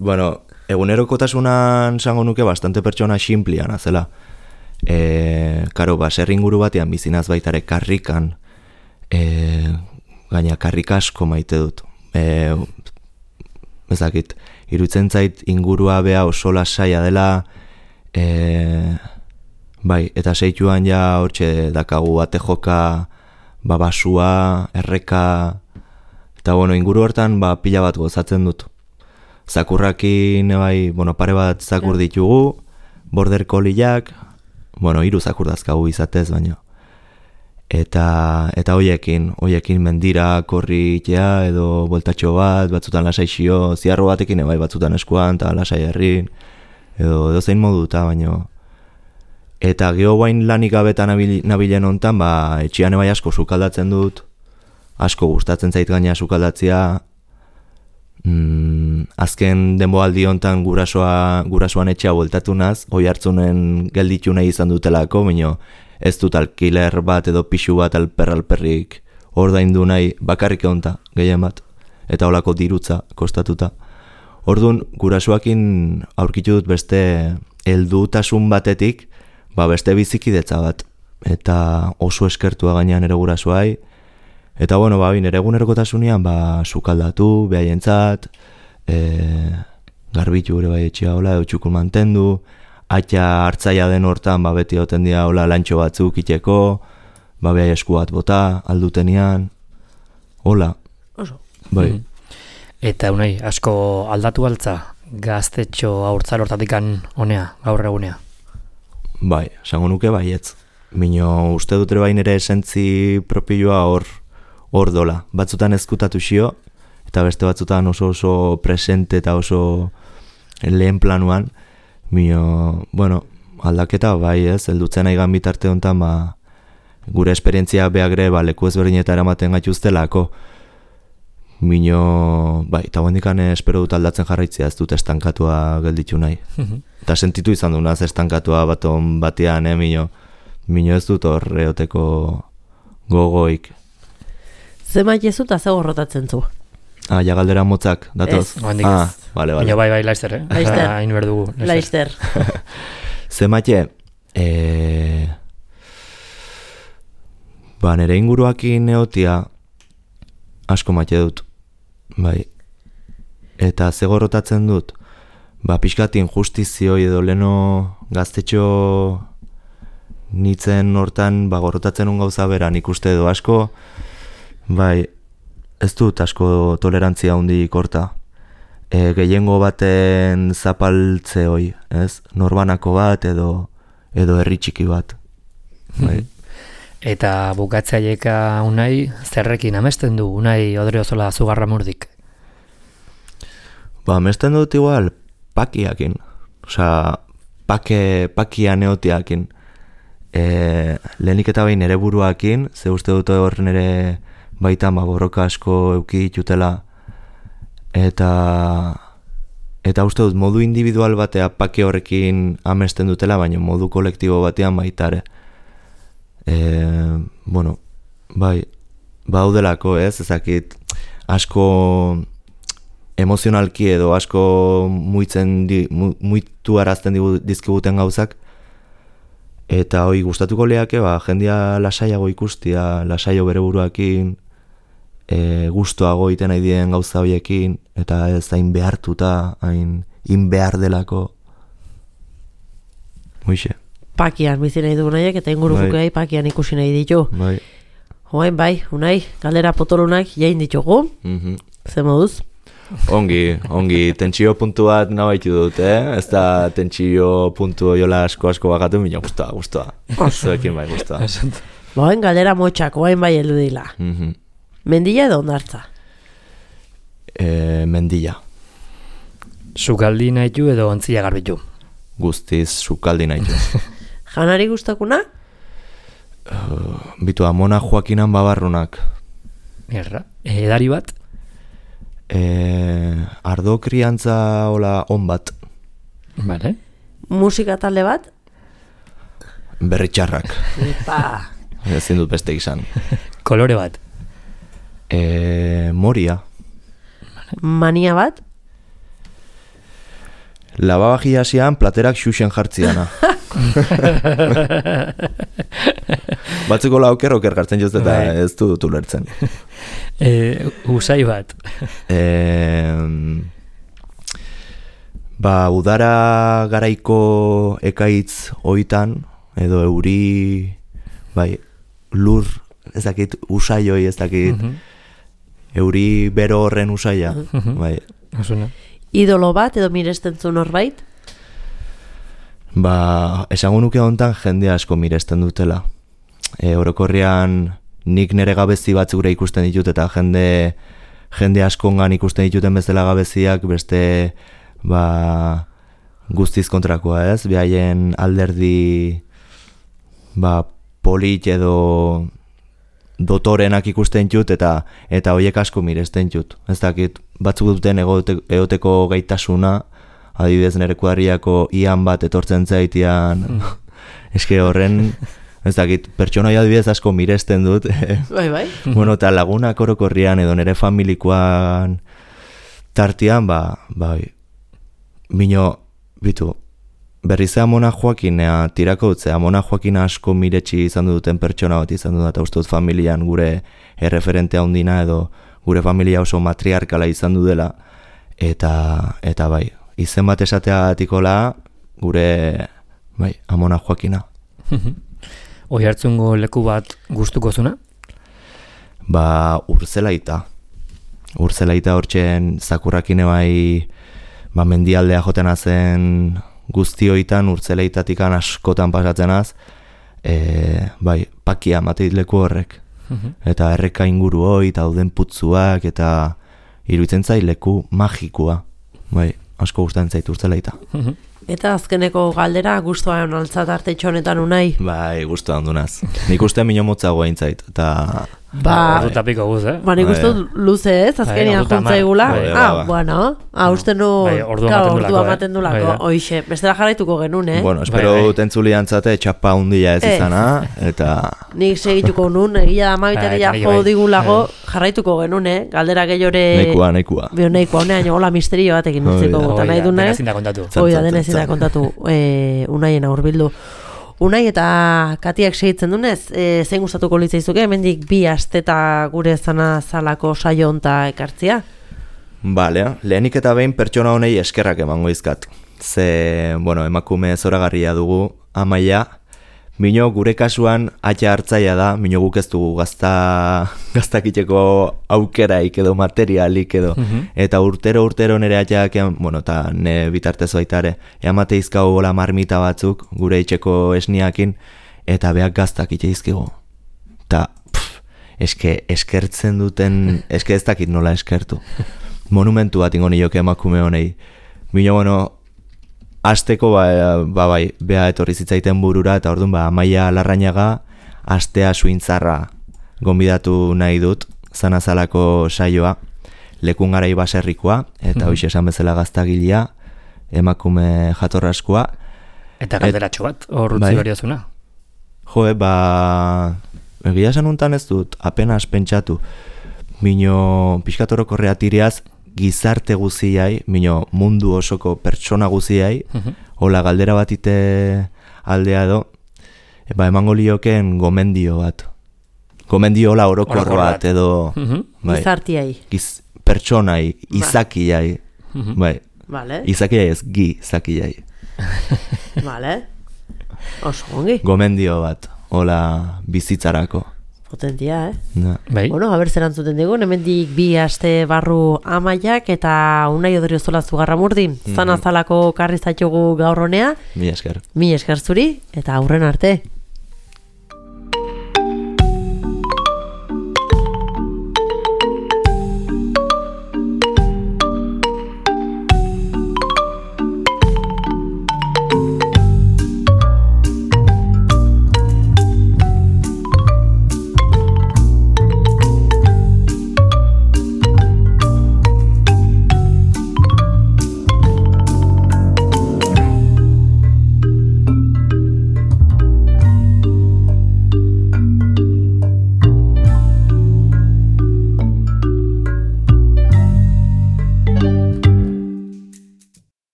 egunerokotasunan sango nuke bastante pertsona xinplian, azela. Karo, serri inguru batean bizinaz baitare karrikan, gaina karrik asko maite dut. Ezakit, iruditzen zait ingurua bea oso lasaia dela, bai, eta seituan ja hortxe dakagu ate joka, basua, erreka, eta bueno, inguru hortan pila bat gozatzen dut. Zakurrakin, bai, pare bat zakur ditugu, border colliak, 3 zakur dazkagu izatez baino. Eta hoiekin mendira korritea edo voltatxo bat, batzutan lasaixio, ziarro batekin bai batzutan eskuan eta lasai herrin, edo zein moduta baino. Eta geho bain lanik gabetan nabilen hontan, etxean bai asko sukaldatzen dut, asko gustatzen zait gaina sukaldatzea. Azken denboaldi hontan gurasoan etxea bueltatu naz, oi hartzunen gelditu nahi izan dutelako, baino ez dut alkiler bat edo pixu bat alperrik ordaindu nahi bakarrik egonta, gehien bat, eta holako dirutza kostatuta. Orduan, gurasoakin aurkitu dut beste heldutasun batetik, beste bizikidetza bat, eta oso eskertua gainean ere gurasoai, eta bueno, nire egunerokotasunean sukaldatu, behaientzat, garbitu ere bai etxea hola, edo txukun mantendu, atxa hartzaia den hortan beti oten dira hola lantxo batzuk iteko, behai esku bat bota, aldutenian, hola. Oso. Bai. Eta unai, asko aldatu altza, gaztetxo haurtzar hortatikan honea, gaur egunea? Bai, esango nuke baietz. Mino uste dut ere bai nire esentzi propioa hor dola. Batzutan ezkutatu xio, eta beste batzutan oso presente eta oso lehen planuan. Mino, aldaketa bai ez, heldutzen aigan bitarte honetan, gure esperientzia behagre leku ezberdinetara ematen gaituztelako. Mino, bai, eta guendikan espero dut aldatzen jarraitzea, ez dut estankatua gelditu nahi. Eta sentitu izan du naz estankatua baton batean, mino ez dut horreoteko gogoik. Zemait ez dut azego rotatzen zu? Ja galdera motzak, datoz? Ez, guendik ez. Vale. Baina bai, laizter, Laizter. Hain berdugu. Laizter. Zemate, nire inguruakin neotia asko maite dut, bai. Eta zegorrotatzen dut, pixkatin justizioi edo leno gaztetxo nitzen hortan gorrotatzen un gauza beran ikuste edo asko, bai, ez dut asko tolerantzia hundik horta. Gehiengo baten zapaltze hoi, ez? Norbanako bat edo herri txiki bat. Bai. Eta bukatzaieka unai, zerrekin amesten du, unai Odriozola Zugarramurdik? Amesten dut igual pakiakin. Osea, pakia neotiakin. Lehenik eta behin ere buruakin, ze uste dut hor nere baita borroka asko euki ditutela. Eta uste dut modu individual batea pake horrekin amesten dutela, baina modu kolektibo batean baitare. Bai, baudelako ez, ezakit asko emozionalki edo asko muitu arazten dizkiguten gauzak, eta hoi gustatuko leake, jendia lasaiago ikustia, lasaio bere buruakin, gustoago iten nahi dien gauza horiekin, eta ez hain behartuta, hain behar delako. Hoixe. Pakian bizi nahi du Unaiek, eta ingurukoei pakian ikusi nahi ditu. Bai. Hoain bai, Unai, galdera potolunak jain ditugu. Ze moduz? Ongi, tentsio puntu bat nabaitu dut, Ez da tentsio puntu jola asko bakatu, mina guztua. Zuekin bai guztua. Hoain galdera motxak, hoain bai heldu dila. Mendilla edo ondartza? Mendilla. Sukaldi nahitu edo ontzila garbitu? Guztiz sukaldi nahitu. Janari gustakuna? Bitu amona Joakinan babarrunak. Edari bat? Ardo kriantza hola on bat. Vale. Musika talde bat? Berritxarrak. Epa. Ezin dut beste izan. Kolore bat? Moria. Mania bat? Lavabajia hasian platerak xuxen jartziana. Batzuko oker gartzen joz eta ez dut ulertzen. Usai bat. Udara garaiko ekaitz oitan, edo euri, lur, ez dakit, usaioi, ez dakit, euri bero horren usaia. Osuna. Idolo bat edo miresten zu norbait? Esango nuke hontan jende asko miresten dutela. Orokorrean nik nire gabezi batzure ikusten ditut eta jende askongan ikusten dituten bezala gabeziak beste guztiz kontrakoa, ez? Behaien alderdi polit edo dotorenak ikusten jut eta hoiek asko miresten jut. Ez dakit, batzuk duten egoteko gaitasuna, adibidez nire kuadriako ian bat etortzen zaitian, eske horren, ez dakit, pertsonai adibidez asko miresten dut. Bai. Bueno, eta lagunak orokorrian edo nire familikoan tartian, mino, bitu, berriz Amona Joakinea tirako dutze, Amona Joakina asko miretsi izan duten pertsona bat izan dut, eta uste dut familian gure erreferentea handina edo gure familia oso matriarkala izan du dela, eta izen bat esatea atikola gure Amona Joakina. Oi hartzungo leku bat gustuko zuna? Urzelaita hortzen zakurrakine mendialdea joten azen guztioitan Urzelaitatikan askotan pasatzenaz, pakia mateit leku horrek. Eta erreka inguru hoi, eta dauden putzuak, eta iruditzen zait leku magikua. Asko gustatzen zait Urzelaita. Eta azkeneko galdera, guztuan altzat artetxo honetan unai? Guztuan dunaz. Nik uste minio motzago aintzait, eta... Ordu tapiko guz, Nik uste luze ez, azkenian juntzaigula. Bueno, uste nu ordua maten du lako. Oixe, bestela jarraituko genuen, Bueno, espero tentzuli antzate txapa hundia ez izana, eta... Nik segituko nun, egia da mabiteria jo digulago, jarraituko genuen, galdera gehiore... Neikua. Neikua, honean hola misterio batekin utziko gota nahi dune. Dena ezin da kontatu, unaien aurbildu. Unai eta Katiak segitzen dunez, zein gustatuko litzaizuke, hemendik 2 asteta gure zana zalako saio honta ekartzia? Lehenik eta behin pertsona honei eskerrak emango izkat. Emakume zoragarria dugu, Amaia, mino gure kasuan atxa hartzaia da, mino guk ez dugu gaztakiteko aukeraik edo materialik edo, eta urtero nire atxak, eta ne bitartez baitare, emate izkau gola marmita batzuk, gure itxeko esniakin, eta beak gaztakite izkigu. Eta, eskertzen duten, ez dakit nola eskertu. Monumentu bat ingo nioke emakume honei. Mino, asteko bea etorri zitzaiten burura, eta orduan Amaia Larrañaga astea suintzarra gonbidatu nahi dut, zanazalako saioa, lekun garai baserrikoa, eta hoxe esan bezala gaztagilea, emakume jatorraskoa. Eta galderatxo bat, horrutzi bariozuna? Egia esan untan ez dut, apenas pentsatu, mino pixkatoroko reatiriaz, gizarte guziai, mino mundu osoko pertsona guziai, hola galdera batite aldea edo, emango lioken gomendio bat. Gomendio hola orokor bat edo... Gizartiai. Pertsonai, izakiai. Izakiai ez, gizakiai. Oso gongi. Gomendio bat, hola bizitzarako. Potentia, Bueno, haber zer antzuten dugu, hemendik 2 aste barru Amaiak eta Unai Odriozola Zugarramurdi. Zanazalako karri zaitugu gaur honea. Mi esker. Mi esker zuri, eta aurren arte.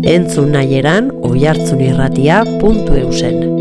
Entzun nahieran, oihartzunirratia.eusen.